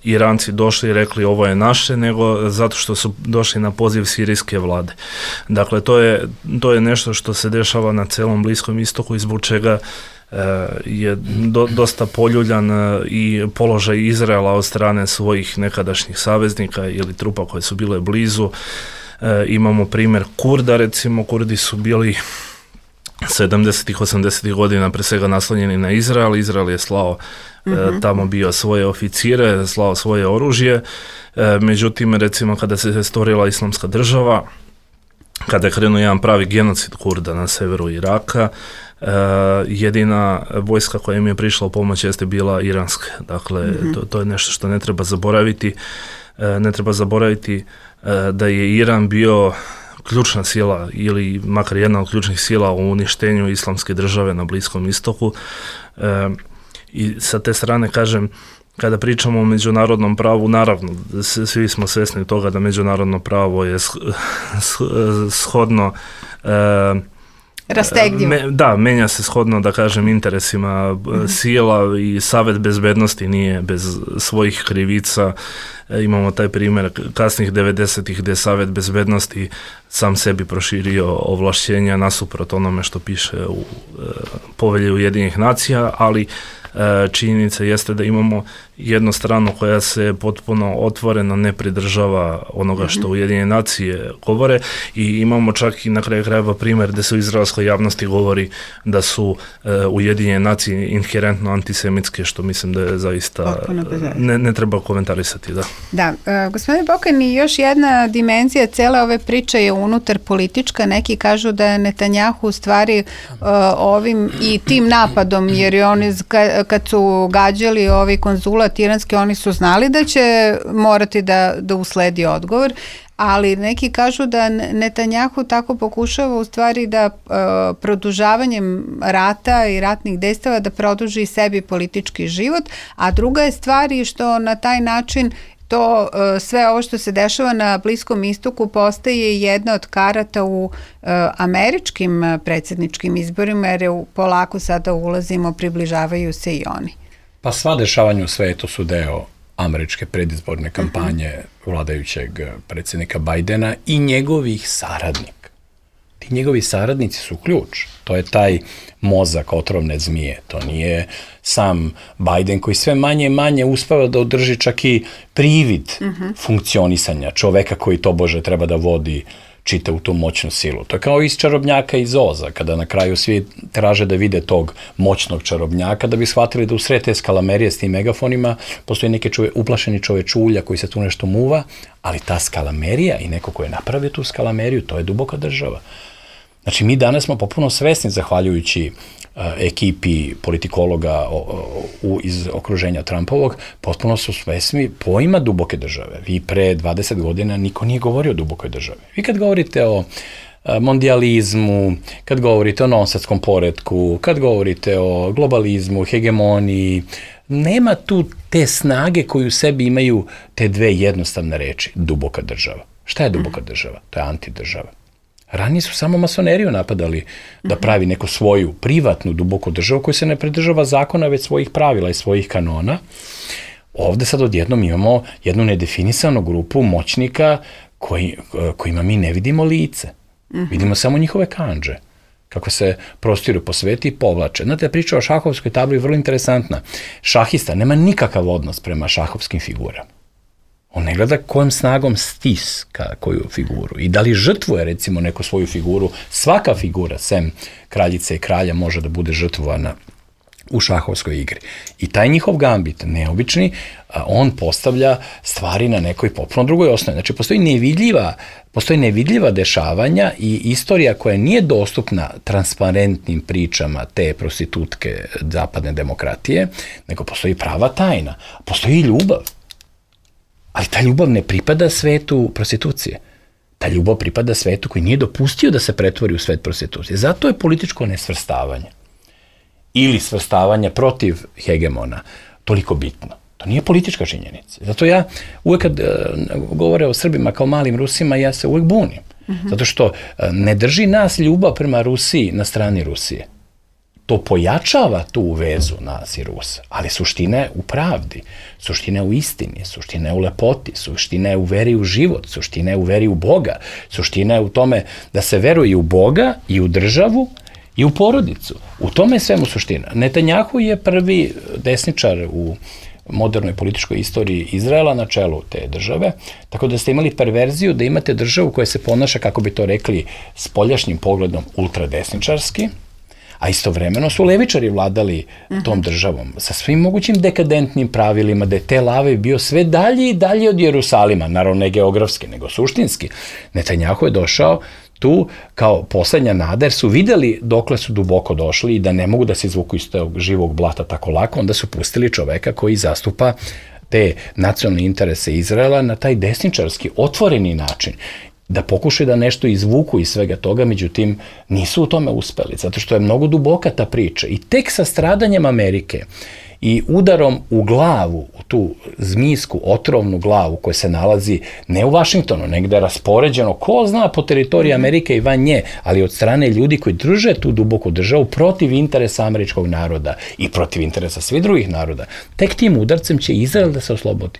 S4: Iranci došli i rekli ovo je naše, nego zato što su došli na poziv sirijske vlade. Dakle, to je, to je nešto što se dešava na celom Bliskom istoku i zbog čega e, je do, dosta poljuljan e, i položaj Izraela od strane svojih nekadašnjih saveznika ili trupa koje su bile blizu. E, imamo primjer Kurda, recimo, Kurdi su bili sedamdesetih, osamdesetih godina pre svega naslonjeni na Izrael. Izrael je slao mm-hmm. e, tamo bio svoje oficire, slao svoje oružje. E, međutim, recimo, kada se stvorila Islamska država, kada je krenuo jedan pravi genocid Kurda na severu Iraka, uh, jedina vojska koja im je prišla u pomoć jeste bila iranska. Dakle, mm-hmm. to, to je nešto što ne treba zaboraviti. Uh, ne treba zaboraviti uh, da je Iran bio ključna sila ili makar jedna od ključnih sila u uništenju islamske države na Bliskom istoku. Uh, I sa te strane, kažem, kada pričamo o međunarodnom pravu, naravno, svi smo svjesni toga da međunarodno pravo je shodno e,
S2: rastegljivo.
S4: Me, da, menja se shodno, da kažem, interesima mm-hmm. sila i Savet bezbednosti nije bez svojih krivica. E, imamo taj primjer kasnih devedesetih gdje je Savet bezbednosti sam sebi proširio ovlašćenja nasuprot onome što piše u e, povelji Ujedinjenih nacija, ali činjenica jeste da imamo jednu stranu koja se potpuno otvoreno ne pridržava onoga što Ujedinjene nacije govore i imamo čak i na kraju krajeva primjer gdje se u izraelskoj javnosti govori da su uh, Ujedinjene nacije inherentno antisemitske, što mislim da je zaista ne, ne treba komentarisati. Da,
S2: da uh, gospodine Bokani, još jedna dimenzija cele ove priče je unutar politička. Neki kažu da je Netanjahu u stvari uh, ovim i tim napadom, jer je on iz, kad su gađali ovaj konzulat iranski, oni su znali da će morati da, da usledi odgovor, ali neki kažu da Netanjahu tako pokušava u stvari da uh, produžavanjem rata i ratnih dejstava da produži sebi politički život, a druga je stvar i što na taj način to uh, sve ovo što se dešava na Bliskom istoku postaje jedna od karata u uh, američkim uh, predsjedničkim izborima, jer je u, polako sada ulazimo, približavaju se i oni.
S3: Pa sva dešavanja u svetu su deo američke predizborne kampanje uh-huh. vladajućeg predsjednika Bajdena i njegovih saradnika. Ti njegovi saradnici su ključ. To je taj mozak otrovne zmije. To nije sam Bajden koji sve manje i manje uspeva da održi čak i privid uh-huh. funkcionisanja čoveka koji to Bože treba da vodi čita u tu moćnu silu. To je kao iz Čarobnjaka iz Oza, kada na kraju svi traže da vide tog moćnog čarobnjaka, da bi shvatili da u sred te skalamerije s tim megafonima postoji neki čove, uplašeni čovečulja koji se tu nešto muva, ali ta skalamerija i neko ko je napravio tu skalameriju, to je duboka država. Znači, mi danas smo popuno svesni, zahvaljujući uh, ekipi politikologa uh, iz okruženja Trumpovog, potpuno su svesni pojma duboke države. Vi pre dvadeset godina niko nije govorio o dubokoj državi. Vi kad govorite o mondijalizmu, kad govorite o nonsenskom poretku, kad govorite o globalizmu, hegemoniji, nema tu te snage koju u sebi imaju te dve jednostavne reči, duboka država. Šta je duboka država? To je antidržava. Ranije su samo masoneriju napadali da pravi neku svoju privatnu duboku državu koja se ne pridržava zakona, već svojih pravila i svojih kanona. Ovde sad odjednom imamo jednu nedefinisanu grupu moćnika koji, kojima mi ne vidimo lice. Mm-hmm. Vidimo samo njihove kandže, kako se prostiru po svetu i povlače. Znate, priča o šahovskoj tabli je vrlo interesantna. Šahista nema nikakav odnos prema šahovskim figurama. On ne gleda kojom snagom stiska koju figuru i da li žrtvuje recimo neku svoju figuru. Svaka figura, sem kraljice i kralja, može da bude žrtvovana u šahovskoj igri. I taj njihov gambit, neobični, on postavlja stvari na nekoj potpuno drugoj osnovi. Znači, postoji nevidljiva, postoji nevidljiva dešavanja i istorija koja nije dostupna transparentnim pričama te prostitutke zapadne demokratije, nego postoji prava tajna. Postoji ljubav. Ali ta ljubav ne pripada svetu prostitucije. Ta ljubav pripada svetu koji nije dopustio da se pretvori u svet prostitucije. Zato je političko nesvrstavanje ili svrstavanje protiv hegemona toliko bitno. To nije politička činjenica. Zato ja uvek kad uh, govore o Srbima kao malim Rusima, ja se uvek bunim. Mm-hmm. Zato što uh, ne drži nas ljubav prema Rusiji na strani Rusije. To pojačava tu vezu nas i Rusa, ali suština je u pravdi, suština je u istini, suština je u lepoti, suština je u veri u život, suština je u veri u Boga, suština je u tome da se veruje u Boga i u državu i u porodicu. U tome je svemu suština. Netanjahu je prvi desničar u modernoj političkoj istoriji Izraela na čelu te države, tako da ste imali perverziju da imate državu koja se ponaša, kako bi to rekli, spoljašnjim pogledom ultradesničarski, a istovremeno su levičari vladali tom državom sa svim mogućim dekadentnim pravilima, da je Tel Aviv bio sve dalje i dalje od Jerusalima, naravno ne geografski, nego suštinski. Netanjahu je došao tu kao poslednja nada, jer su videli dokle su duboko došli i da ne mogu da se izvuku iz tog živog blata tako lako, onda su pustili čoveka koji zastupa te nacionalne interese Izraela na taj desničarski, otvoreni način, da pokušaju da nešto izvuku iz svega toga, međutim nisu u tome uspeli, zato što je mnogo duboka ta priča. I tek sa stradanjem Amerike i udarom u glavu, u tu zmijsku, otrovnu glavu koja se nalazi ne u Vašingtonu, negde raspoređeno, ko zna po teritoriji Amerike i van nje, ali od strane ljudi koji drže tu duboku državu protiv interesa američkog naroda i protiv interesa svih drugih naroda, tek tim udarcem će Izrael da se oslobodi.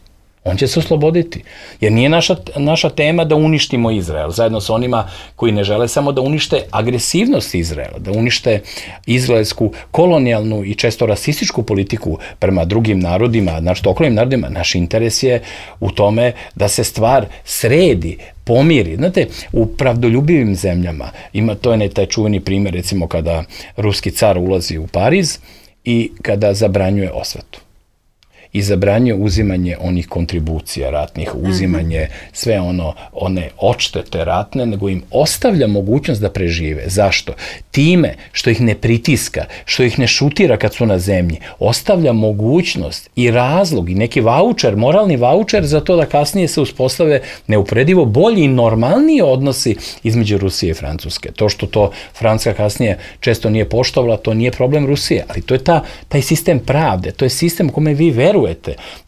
S3: On će se osloboditi, jer nije naša, naša tema da uništimo Izrael, zajedno sa onima koji ne žele samo da unište agresivnost Izraela, da unište izraelsku kolonijalnu i često rasističku politiku prema drugim narodima, znači okolnim narodima. Naš interes je u tome da se stvar sredi, pomiri. Znate, u pravdoljubivim zemljama, ima, to je ne taj čuveni primjer, recimo kada ruski car ulazi u Pariz i kada zabranjuje osvetu. I zabranjuje uzimanje onih kontribucija ratnih, uzimanje sve ono, one odštete ratne, nego im ostavlja mogućnost da prežive. Zašto? Time što ih ne pritiska, što ih ne šutira kad su na zemlji, ostavlja mogućnost i razlog i neki vaučer, moralni vaučer za to da kasnije se uspostave neuporedivo bolji i normalniji odnosi između Rusije i Francuske. To što to Francuska kasnije često nije poštovala, to nije problem Rusije, ali to je ta, taj sistem pravde, to je sistem u kome vi verujete,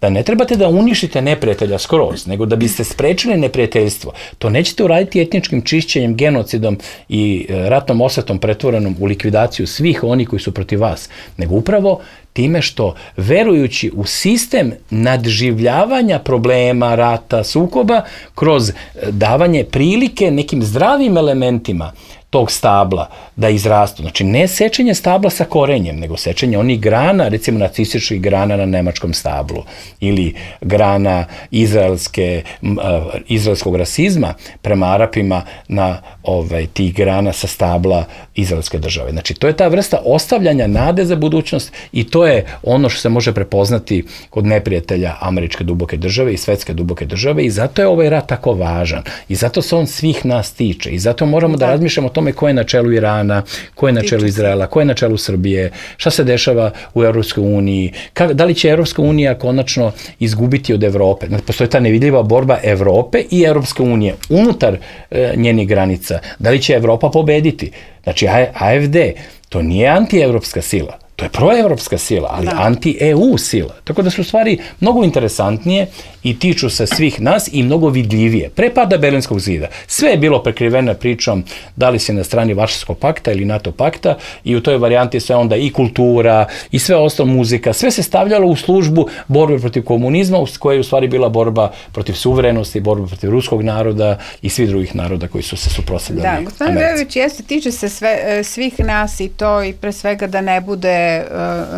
S3: da ne trebate da uništite neprijatelja skroz, nego da biste sprečili neprijateljstvo. To nećete uraditi etničkim čišćenjem, genocidom i ratnom osvetom pretvorenom u likvidaciju svih onih koji su protiv vas, nego upravo time što, verujući u sistem nadživljavanja problema, rata, sukoba, kroz davanje prilike nekim zdravim elementima tog stabla da izrastu. Znači, ne sečenje stabla sa korenjem, nego sečenje onih grana, recimo nacističkih grana na nemačkom stablu ili grana izraelske, uh, izraelskog rasizma prema Arapima na ovaj, tih grana sa stabla izraelske države. Znači, to je ta vrsta ostavljanja nade za budućnost i to je ono što se može prepoznati kod neprijatelja američke duboke države i svetske duboke države i zato je ovaj rat tako važan i zato se on svih nas tiče i zato moramo da, da razmišljamo o tome ko je na čelu Irana, ko je na čelu Izraela, ko je na čelu Srbije, šta se dešava u Evropskoj uniji, ka, da li će Evropska unija konačno izgubiti od Evrope. Postoji ta nevidljiva borba Evrope i Evropske unije unutar e, njenih granica. Da li će Evropa pobediti? Znači, A F D, to nije antievropska sila, to je proevropska sila, ali da. anti-E U sila. Tako da su stvari mnogo interesantnije i tiču se svih nas i mnogo vidljivije. Pre pada Berlinskog zida sve je bilo prekriveno pričom da li si na strani Varšavskog pakta ili NATO pakta i u toj varijanti sve onda i kultura i sve ostalo muzika, sve se stavljalo u službu borbe protiv komunizma koja je u stvari bila borba protiv suverenosti, borba protiv ruskog naroda i svih drugih naroda koji su se suprotstavljali Americi.
S2: Da, gospodin Vejović, jeste, tiče se sve, svih nas i to i pre svega da ne bude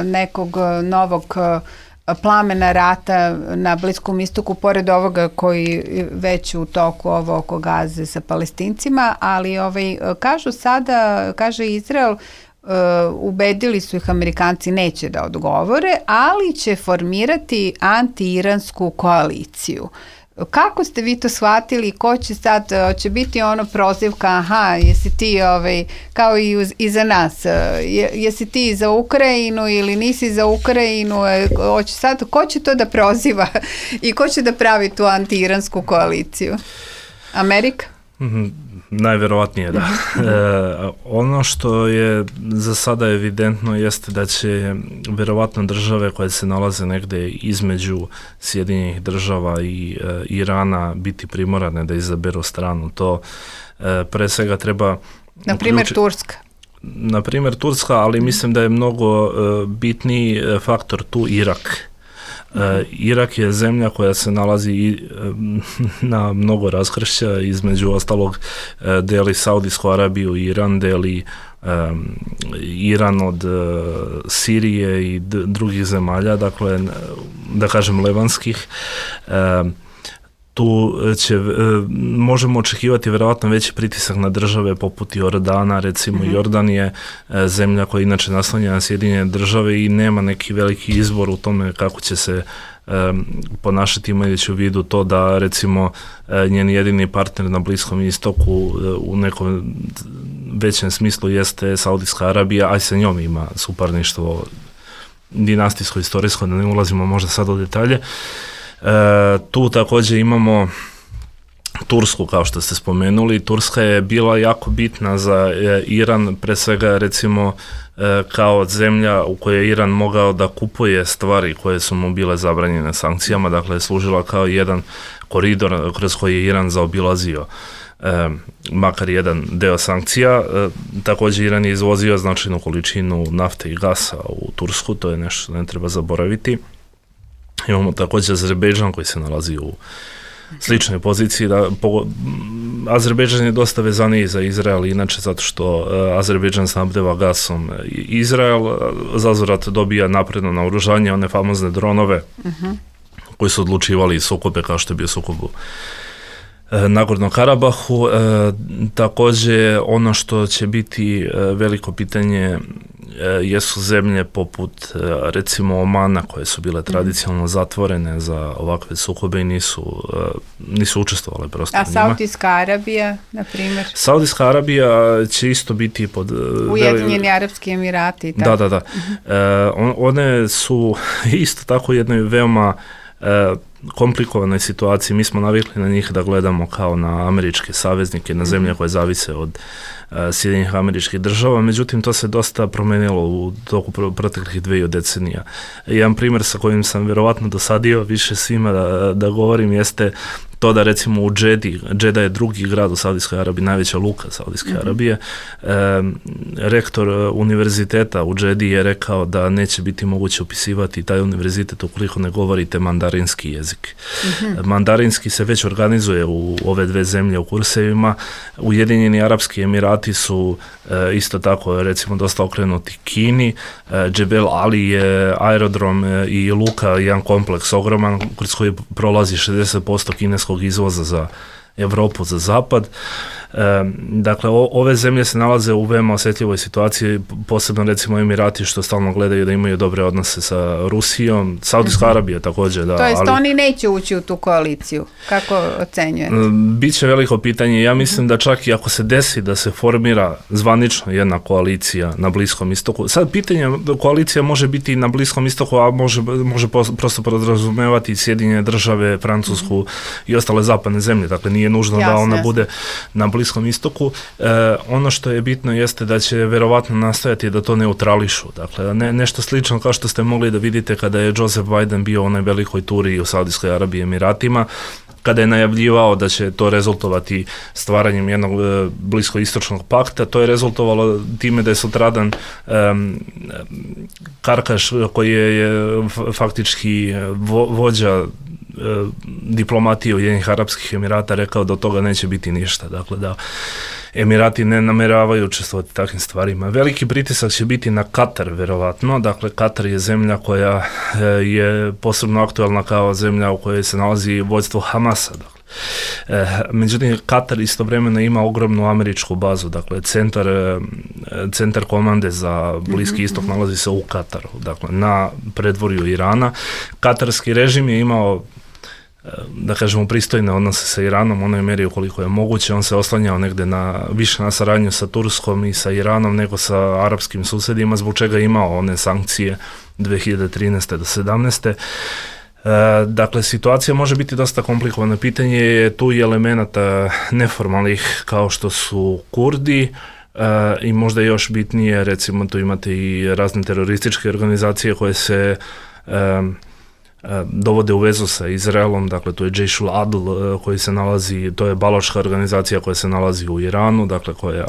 S2: nekog novog plamena rata na Bliskom istoku, pored ovoga koji već u toku ovo oko Gaze sa Palestincima, ali ovaj, kažu sada, kaže Izrael, Uh, ubedili su ih Amerikanci neće da odgovore, ali će formirati anti-iransku koaliciju. Kako ste vi to shvatili? Ko će sad, će biti ono prozivka, aha, jesi ti ovaj, kao i, uz, i za nas, je, jesi ti za Ukrajinu ili nisi za Ukrajinu, hoće sad, ko će to da proziva i ko će da pravi tu anti-iransku koaliciju? Amerika?
S4: Mm-hmm. Najverovatnije, da. E, ono što je za sada evidentno jeste da će verovatno države koje se nalaze negde između Sjedinjenih država i e, Irana biti primorane da izaberu stranu. To e, pre svega treba...
S2: Na primjer uključi... Turska.
S4: Na primjer Turska, ali mislim da je mnogo e, bitniji faktor tu Irak. Uh, Irak je zemlja koja se nalazi uh, na mnogo raskršća, između ostalog uh, deli Saudijsku Arabiju i Iran, deli um, Iran od uh, Sirije i d- drugih zemalja, dakle, da kažem levanskih. Uh, tu će, uh, možemo očekivati verovatno veći pritisak na države poput Jordana, recimo mm-hmm. Jordan je uh, zemlja koja inače naslanja na Sjedinjene države i nema neki veliki izbor u tome kako će se um, ponašati, imajući u vidu to da recimo uh, njen jedini partner na Bliskom istoku uh, u nekom većem smislu jeste Saudijska Arabija, a i sa njom ima suparništvo dinastijsko, istorijsko, da ne ulazimo možda sad u detalje. E, tu također imamo Tursku, kao što ste spomenuli. Turska je bila jako bitna za e, Iran, pre svega recimo e, kao zemlja u kojoj je Iran mogao da kupuje stvari koje su mu bile zabranjene sankcijama, dakle je služila kao jedan koridor kroz koji je Iran zaobilazio e, makar jedan deo sankcija. E, također Iran je izvozio značajnu količinu nafte i gasa u Tursku, to je nešto što ne treba zaboraviti. Imamo također Azerbejdžan koji se nalazi u sličnoj poziciji. Da, po, Azerbejdžan je dosta vezaniji za Izrael, inače zato što uh, Azerbejdžan snabdeva gasom Izrael, zazvrat dobija napredno naoružanje, one famozne dronove uh-huh. koji su odlučivali sukobe kao što je bio sukob u Nagorno Karabahu. E, također ono što će biti e, veliko pitanje e, jesu zemlje poput e, recimo Omana koje su bile tradicionalno zatvorene za ovakve sukobe i nisu, e, nisu učestvovale prosto
S2: A
S4: u njima.
S2: Saudijska Arabija, na primjer?
S4: Saudijska Arabija će isto biti pod...
S2: Ujedinjeni veli... Arapski Emirati i tako.
S4: Da, da, da. Uh-huh. E, on, one su isto tako jednoj veoma e, komplikovanoj situaciji. Mi smo navikli na njih da gledamo kao na američke saveznike, na zemlje koje zavise od uh, Sjedinjenih Američkih Država, međutim to se dosta promenilo u toku proteklih dveju decenija. Jedan primjer sa kojim sam verovatno dosadio više svima da, da govorim jeste to da recimo u Džedi, Džeda je drugi grad u Saudijskoj Arabiji, najveća luka Saudijske mm-hmm. Arabije, e, rektor univerziteta u Džedi je rekao da neće biti moguće upisivati taj univerzitet ukoliko ne govorite mandarinski jezik. Mm-hmm. Mandarinski se već organizuje u ove dve zemlje u kursevima. Ujedinjeni Arapski Emirati su e, isto tako recimo dosta okrenuti Kini. E, Džebel Ali je aerodrom e, i luka, jedan kompleks ogroman kroz koji prolazi šezdeset posto kineskog izvoza za Evropu, za zapad. E, dakle, o, ove zemlje se nalaze u veoma osjetljivoj situaciji, posebno recimo Emirati što stalno gledaju da imaju dobre odnose sa Rusijom, Saudijska mm-hmm. Arabija također. Da,
S2: to jest
S4: ali,
S2: oni neće ući u tu koaliciju, kako ocenjujete?
S4: Biće veliko pitanje, ja mislim da čak i ako se desi da se formira zvanično jedna koalicija na Bliskom istoku, sad pitanje, koalicija može biti na Bliskom istoku, a može, može prosto podrazumevati Sjedinjene države, Francusku mm-hmm. i ostale zapadne zemlje, dakle nije nužno jasne, da ona jasne. bude na Bliskom istoku. E, ono što je bitno jeste da će verovatno nastojati da to neutrališu, dakle ne, nešto slično kao što ste mogli da vidite kada je Joseph Biden bio u onoj velikoj turi u Saudijskoj Arabiji i Emiratima, kada je najavljivao da će to rezultovati stvaranjem jednog e, bliskoistočnog pakta, to je rezultovalo time da je sutradan e, Karkaš, koji je, je faktički vo, vođa e, diplomatije Ujedinjenih Arapskih Emirata, rekao da od toga neće biti ništa. Dakle, da Emirati ne nameravaju učestvovati takvim stvarima. Veliki pritisak će biti na Katar, verovatno. Dakle, Katar je zemlja koja je posebno aktualna kao zemlja u kojoj se nalazi vođstvo Hamasa. Dakle. E, međutim, Katar istovremeno ima ogromnu američku bazu. Dakle, centar, centar komande za Bliski istok nalazi se u Kataru. Dakle, na predvorju Irana. Katarski režim je imao, da kažemo, pristojne odnose sa Iranom, onoj mjeri ukoliko je moguće. On se oslanjao negde na, više na saradnju sa Turskom i sa Iranom nego sa arapskim susjedima, zbog čega je imao one sankcije dve hiljade trinaeste do sedamnaeste. E, dakle, situacija može biti dosta komplikovana. Pitanje je tu i elemenata neformalnih kao što su Kurdi, e, i možda još bitnije, recimo tu imate i razne terorističke organizacije koje se e, dovode u vezu sa Izraelom, dakle to je Jaish al-Adl koji se nalazi, to je baloška organizacija koja se nalazi u Iranu, dakle koja,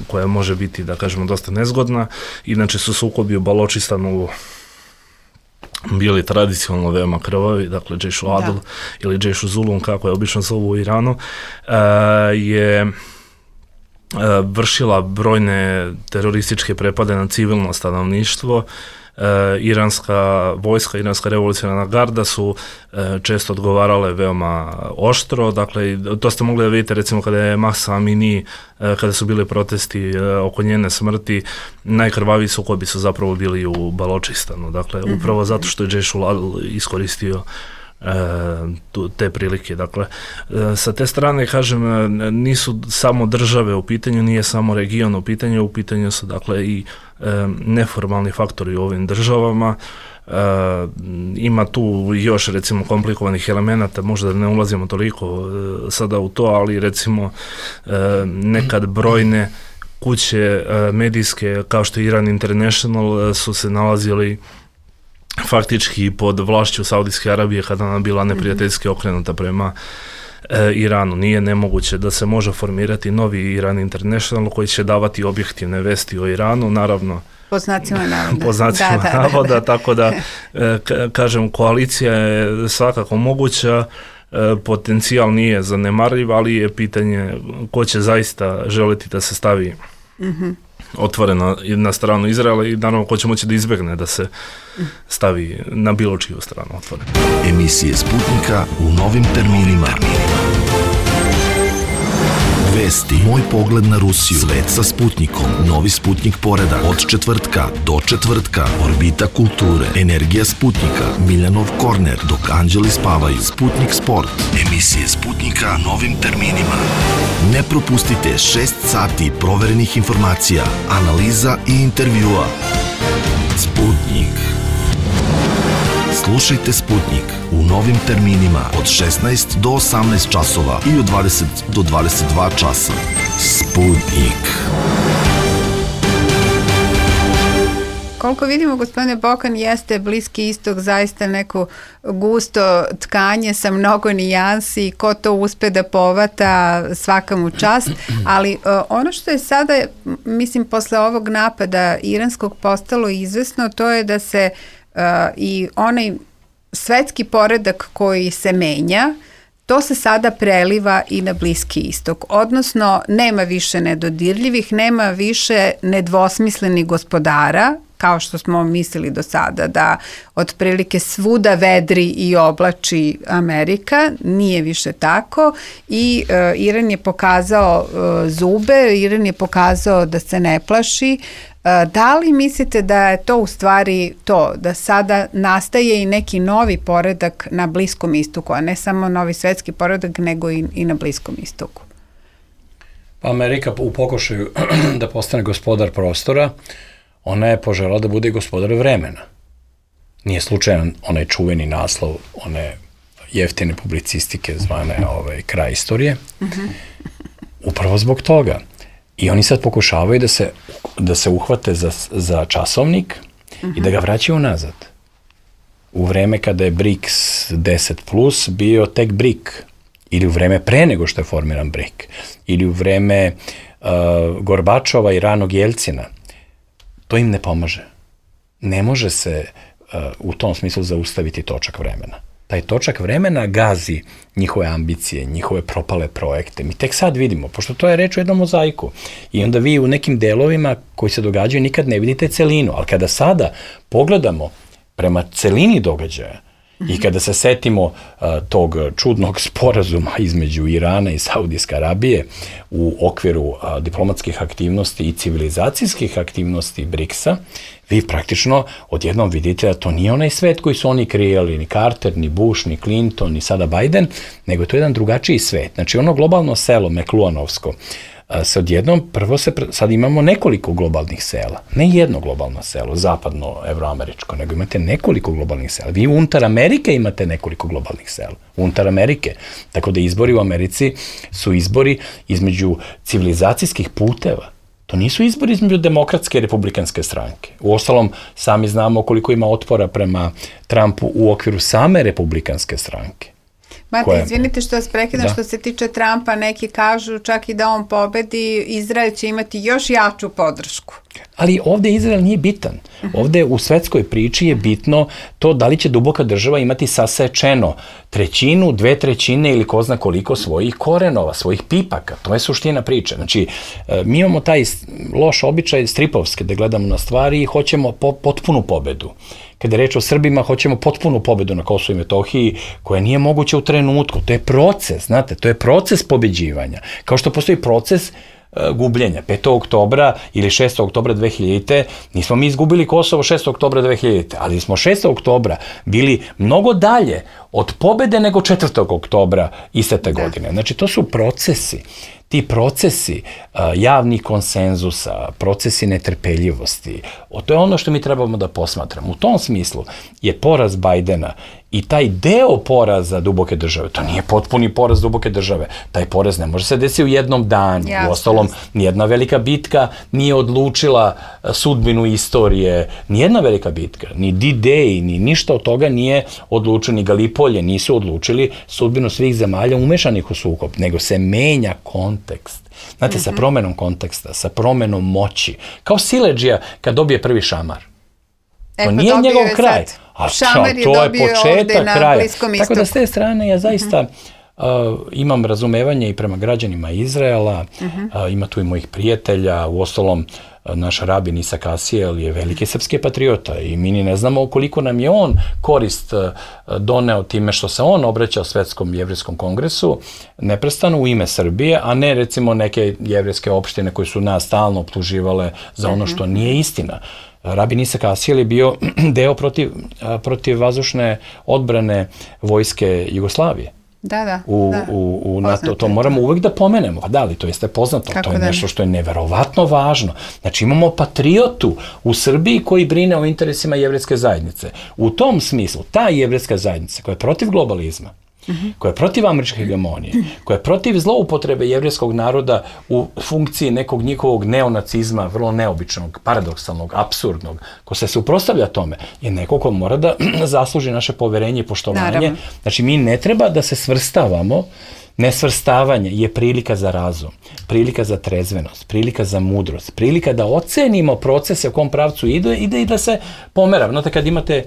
S4: koja može biti, da kažemo, dosta nezgodna. Inače su sukobi u Baločistanu bili tradicionalno veoma krvavi, dakle Jaish al-Adl da. ili Jaish al-Zulum, kako je obično zovu u Iranu, je vršila brojne terorističke prepade na civilno stanovništvo. Uh, iranska vojska, iranska revolucionarna garda su uh, često odgovarale veoma oštro, dakle to ste mogli da vidite recimo kada je Mahsa Amini, uh, kada su bili protesti uh, oko njene smrti, najkrvaviji sukobi su zapravo bili u Baločistanu, dakle mm-hmm. upravo zato što je Jaish al-Adl iskoristio E, tu, te prilike. Dakle, e, sa te strane, kažem, nisu samo države u pitanju, nije samo region u pitanju, u pitanju su, dakle, i e, neformalni faktori u ovim državama. E, ima tu još, recimo, komplikovanih elemenata, možda ne ulazimo toliko e, sada u to, ali recimo e, nekad brojne kuće e, medijske, kao što je Iran International, e, su se nalazili faktički pod vlašću Saudijske Arabije kada ona bila neprijateljski okrenuta prema e, Iranu. Nije nemoguće da se može formirati novi Iran International koji će davati objektivne vesti o Iranu, naravno
S2: po znacima navoda.
S4: Po znacima da, da, navoda, da, da. Tako da, e, ka, kažem, koalicija je svakako moguća, e, potencijal nije zanemarljiv, ali je pitanje ko će zaista želiti da se stavi mm-hmm. otvoreno na stranu Izraela i naravno ko će moći da izbegne da se stavi na bilo čiju stranu otvoreno.
S1: Emisije Sputnika u novim terminima. Vesti, moj pogled na Rusiju, svet sa Sputnikom, novi Sputnik poredak, od četvrtka do četvrtka, orbita kulture, energija Sputnika, Miljanov korner, dok anđeli spavaju, Sputnik sport, emisije Sputnika novim terminima. Ne propustite šest sati proverenih informacija, analiza i intervjua. Sputnik. Slušajte Sputnik u novim terminima od šesnaest do osamnaest časova i od dvadeset do dvadeset dva časa. Sputnik.
S2: Koliko vidimo, gospodine Bokan, jeste Bliski istok zaista neko gusto tkanje sa mnogo nijansi, ko to uspe da povata, svaka mu čast, ali uh, ono što je sada, mislim, posle ovog napada iranskog postalo izvesno, to je da se uh, i onaj svetski poredak koji se menja, to se sada preliva i na Bliski istok, odnosno nema više nedodirljivih, nema više nedvosmislenih gospodara kao što smo mislili do sada, da otprilike svuda vedri i oblači Amerika, nije više tako i uh, Iran je pokazao uh, zube, Iran je pokazao da se ne plaši. Uh, da li mislite da je to u stvari to, da sada nastaje i neki novi poredak na Bliskom istoku, a ne samo novi svetski poredak, nego i, i na Bliskom istoku?
S3: Pa Amerika u pokušaju da postane gospodar prostora, ona je požela da bude gospodar vremena. Nije slučajan onaj čuveni naslov, one jeftine publicistike zvane ovaj, kraj istorije. Uh-huh. Upravo zbog toga. I oni sad pokušavaju da se, da se uhvate za, za časovnik uh-huh. i da ga vraćaju nazad. U vreme kada je B R I C S deset plus bio tek B R I C, ili u vreme pre nego što je formiran B R I C, ili u vreme uh, Gorbačova i ranog Jelcina, to im ne pomaže. Ne može se uh, u tom smislu zaustaviti točak vremena. Taj točak vremena gazi njihove ambicije, njihove propale projekte. Mi tek sad vidimo, pošto to je reč o jednom mozaiku. I onda vi u nekim delovima koji se događaju nikad ne vidite celinu. Ali kada sada pogledamo prema celini događaja, i kada se setimo uh, tog čudnog sporazuma između Irana i Saudijske Arabije u okviru uh, diplomatskih aktivnosti i civilizacijskih aktivnosti B R I C S-a, vi praktično odjednom vidite da to nije onaj svet koji su oni kreirali, ni Carter, ni Bush, ni Clinton, ni sada Biden, nego je to jedan drugačiji svet. Znači ono globalno selo, Mekluanovsko, se odjednom, prvo se, sad imamo nekoliko globalnih sela, ne jedno globalno selo, zapadno, evroameričko, nego imate nekoliko globalnih sela. Vi unutar Amerike imate nekoliko globalnih sela, unutar Amerike. Tako da izbori u Americi su izbori između civilizacijskih puteva. To nisu izbori između demokratske i republikanske stranke. Uostalom, sami znamo koliko ima otpora prema Trumpu u okviru same republikanske stranke.
S2: Mate, izvinite što vas prekidam, što se tiče Trumpa, neki kažu čak i da on pobedi, Izrael će imati još jaču podršku.
S3: Ali ovde Izrael nije bitan. Ovde u svetskoj priči je bitno to da li će duboka država imati sasečeno trećinu, dve trećine ili ko zna koliko svojih korenova, svojih pipaka. To je suština priče. Znači, mi imamo taj loš običaj stripovske da gledamo na stvari i hoćemo po, potpunu pobedu. Kada je reč o Srbima, hoćemo potpunu pobedu na Kosovu i Metohiji, koja nije moguća u trenutku. To je proces, znate, to je proces pobeđivanja. Kao što postoji proces uh, gubljenja. petog oktobra ili šestog oktobra dve hiljadite. Nismo mi izgubili Kosovo šestog oktobra dve hiljadite, ali smo šestog oktobra bili mnogo dalje od pobede nego četvrtog oktobra iste te godine. Znači, to su procesi. Ti procesi uh, javnih konsenzusa, procesi netrpeljivosti, o, to je ono što mi trebamo da posmatramo. U tom smislu je poraz Bajdena i taj deo poraza duboke države, to nije potpuni poraz duboke države, taj poraz ne može se desiti u jednom danu.
S2: Jasne.
S3: Uostalom, nijedna velika bitka nije odlučila sudbinu istorije, nijedna velika bitka, ni D-Day, ni ništa od toga nije odlučilo, ni Galipolje nisu odlučili sudbinu svih zemalja umešanih u sukob, nego se menja kontekst. Znate, mm-hmm. sa promenom konteksta, sa promenom moći. Kao siledžija kad dobije prvi šamar. To
S2: e,
S3: nije njegov kraj. A
S2: šamar je
S3: to je
S2: dobio
S3: početak
S2: ovde na
S3: kraja.
S2: Bliskom istoku.
S3: Tako da s te strane ja zaista mm-hmm. uh, imam razumevanje i prema građanima Izraela, mm-hmm. uh, ima tu i mojih prijatelja, uostalom naš rabin Isak Asijel je veliki srpski patriota i mi ni ne znamo koliko nam je on korist doneo time što se on obraćao Svetskom jevrijskom kongresu neprestano u ime Srbije, a ne recimo neke jevrijske opštine koje su nas stalno optuživale za ono što nije istina. Rabin Isak Asijel je bio deo protiv, protiv vazdušne odbrane vojske Jugoslavije.
S2: Da, da.
S3: U,
S2: da.
S3: u, u NATO, to moramo uvek da pomenemo. Pa da li, to jeste poznato. Kako to je da nešto što je neverovatno važno. Znači imamo patriotu u Srbiji koji brine o interesima jevrejske zajednice. U tom smislu, ta jevrejska zajednica koja je protiv globalizma, mm-hmm. koja je protiv američke hegemonije, koja je protiv zloupotrebe jevrejskog naroda u funkciji nekog njihovog neonacizma, vrlo neobičnog, paradoksalnog, apsurdnog, ko se suprotstavlja tome, je neko ko mora da zasluži naše poverenje i poštovanje. Naravno. Znači, mi ne treba da se svrstavamo. Nesvrstavanje je prilika za razum, prilika za trezvenost, prilika za mudrost, prilika da ocenimo procese u kom pravcu ide, ide i da se pomera. Znate, kad imate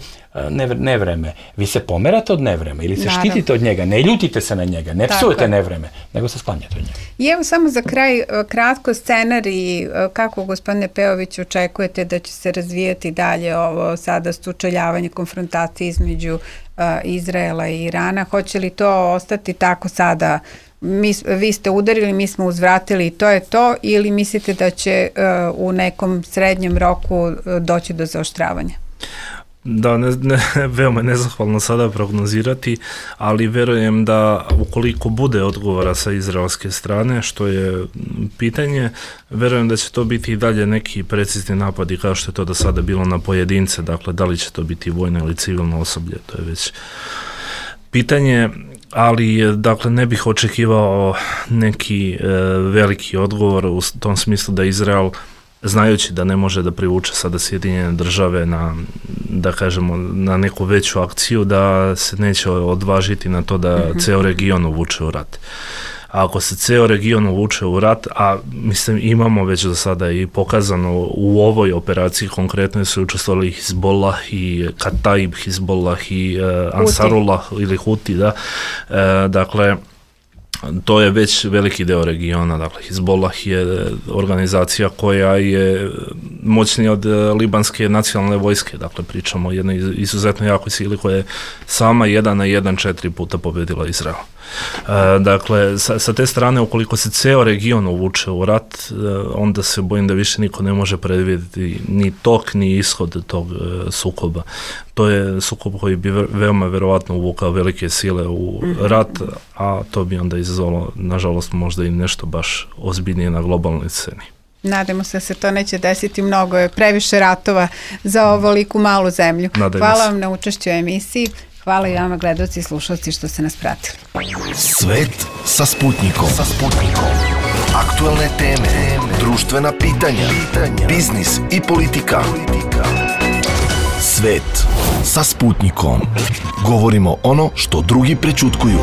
S3: nevreme. Vi se pomerate od nevreme ili se
S2: Naravno.
S3: štitite od njega, ne ljutite se na njega, ne psujete nevreme, nego se sklanjate od njega.
S2: I evo samo za kraj, kratko scenarij, kako gospodine Pejović očekujete da će se razvijati dalje ovo sada sučeljavanje, konfrontacije između uh, Izraela i Irana, hoće li to ostati tako sada, mi, vi ste udarili, mi smo uzvratili i to je to, ili mislite da će uh, u nekom srednjem roku uh, doći do zaoštravanja?
S4: Da, ne, ne, veoma nezahvalno sada prognozirati, ali verujem da ukoliko bude odgovora sa izraelske strane, što je pitanje, verujem da će to biti i dalje neki precizni napadi kao što je to do sada bilo na pojedince, dakle da li će to biti vojno ili civilno osoblje, to je već pitanje, ali dakle ne bih očekivao neki e, veliki odgovor u tom smislu da Izrael, znajući da ne može da privuče sada Sjedinjene države na, da kažemo, na neku veću akciju, da se neće odvažiti na to da mm-hmm. ceo region uvuče u rat. A ako se ceo region uvuče u rat, a mislim imamo već do sada i pokazano u ovoj operaciji, konkretno su učestvovali Hizbollah i Kataib Hizbollah i uh, Ansarullah ili Huti, da, e, dakle, to je već veliki deo regiona, dakle Hizbollah je organizacija koja je moćnija od libanske nacionalne vojske, dakle pričamo o jednoj izuzetno jakoj sili koja je sama jedan na jedan četiri puta pobedila Izrael. E, dakle, sa, sa te strane, ukoliko se ceo region uvuče u rat, e, onda se bojim da više niko ne može predvidjeti ni tok, ni ishod tog e, sukoba. To je sukob koji bi ve, veoma verovatno uvukao velike sile u rat, a to bi onda izazvalo, nažalost, možda i nešto baš ozbiljnije na globalnoj sceni.
S2: Nadamo se da se to neće desiti, mnogo je previše ratova za ovoliku malu zemlju.
S4: Nadajmo
S2: Hvala
S4: se.
S2: vam na učešću u emisiji. Hvala i vama, gledaoci i slušalci, što ste nas pratili.
S1: Svet sa Sputnikom. Sa Sputnikom. Aktuelne teme, društvena pitanja, biznis i politika. Svet sa Sputnikom. Govorimo ono što drugi prećutkuju.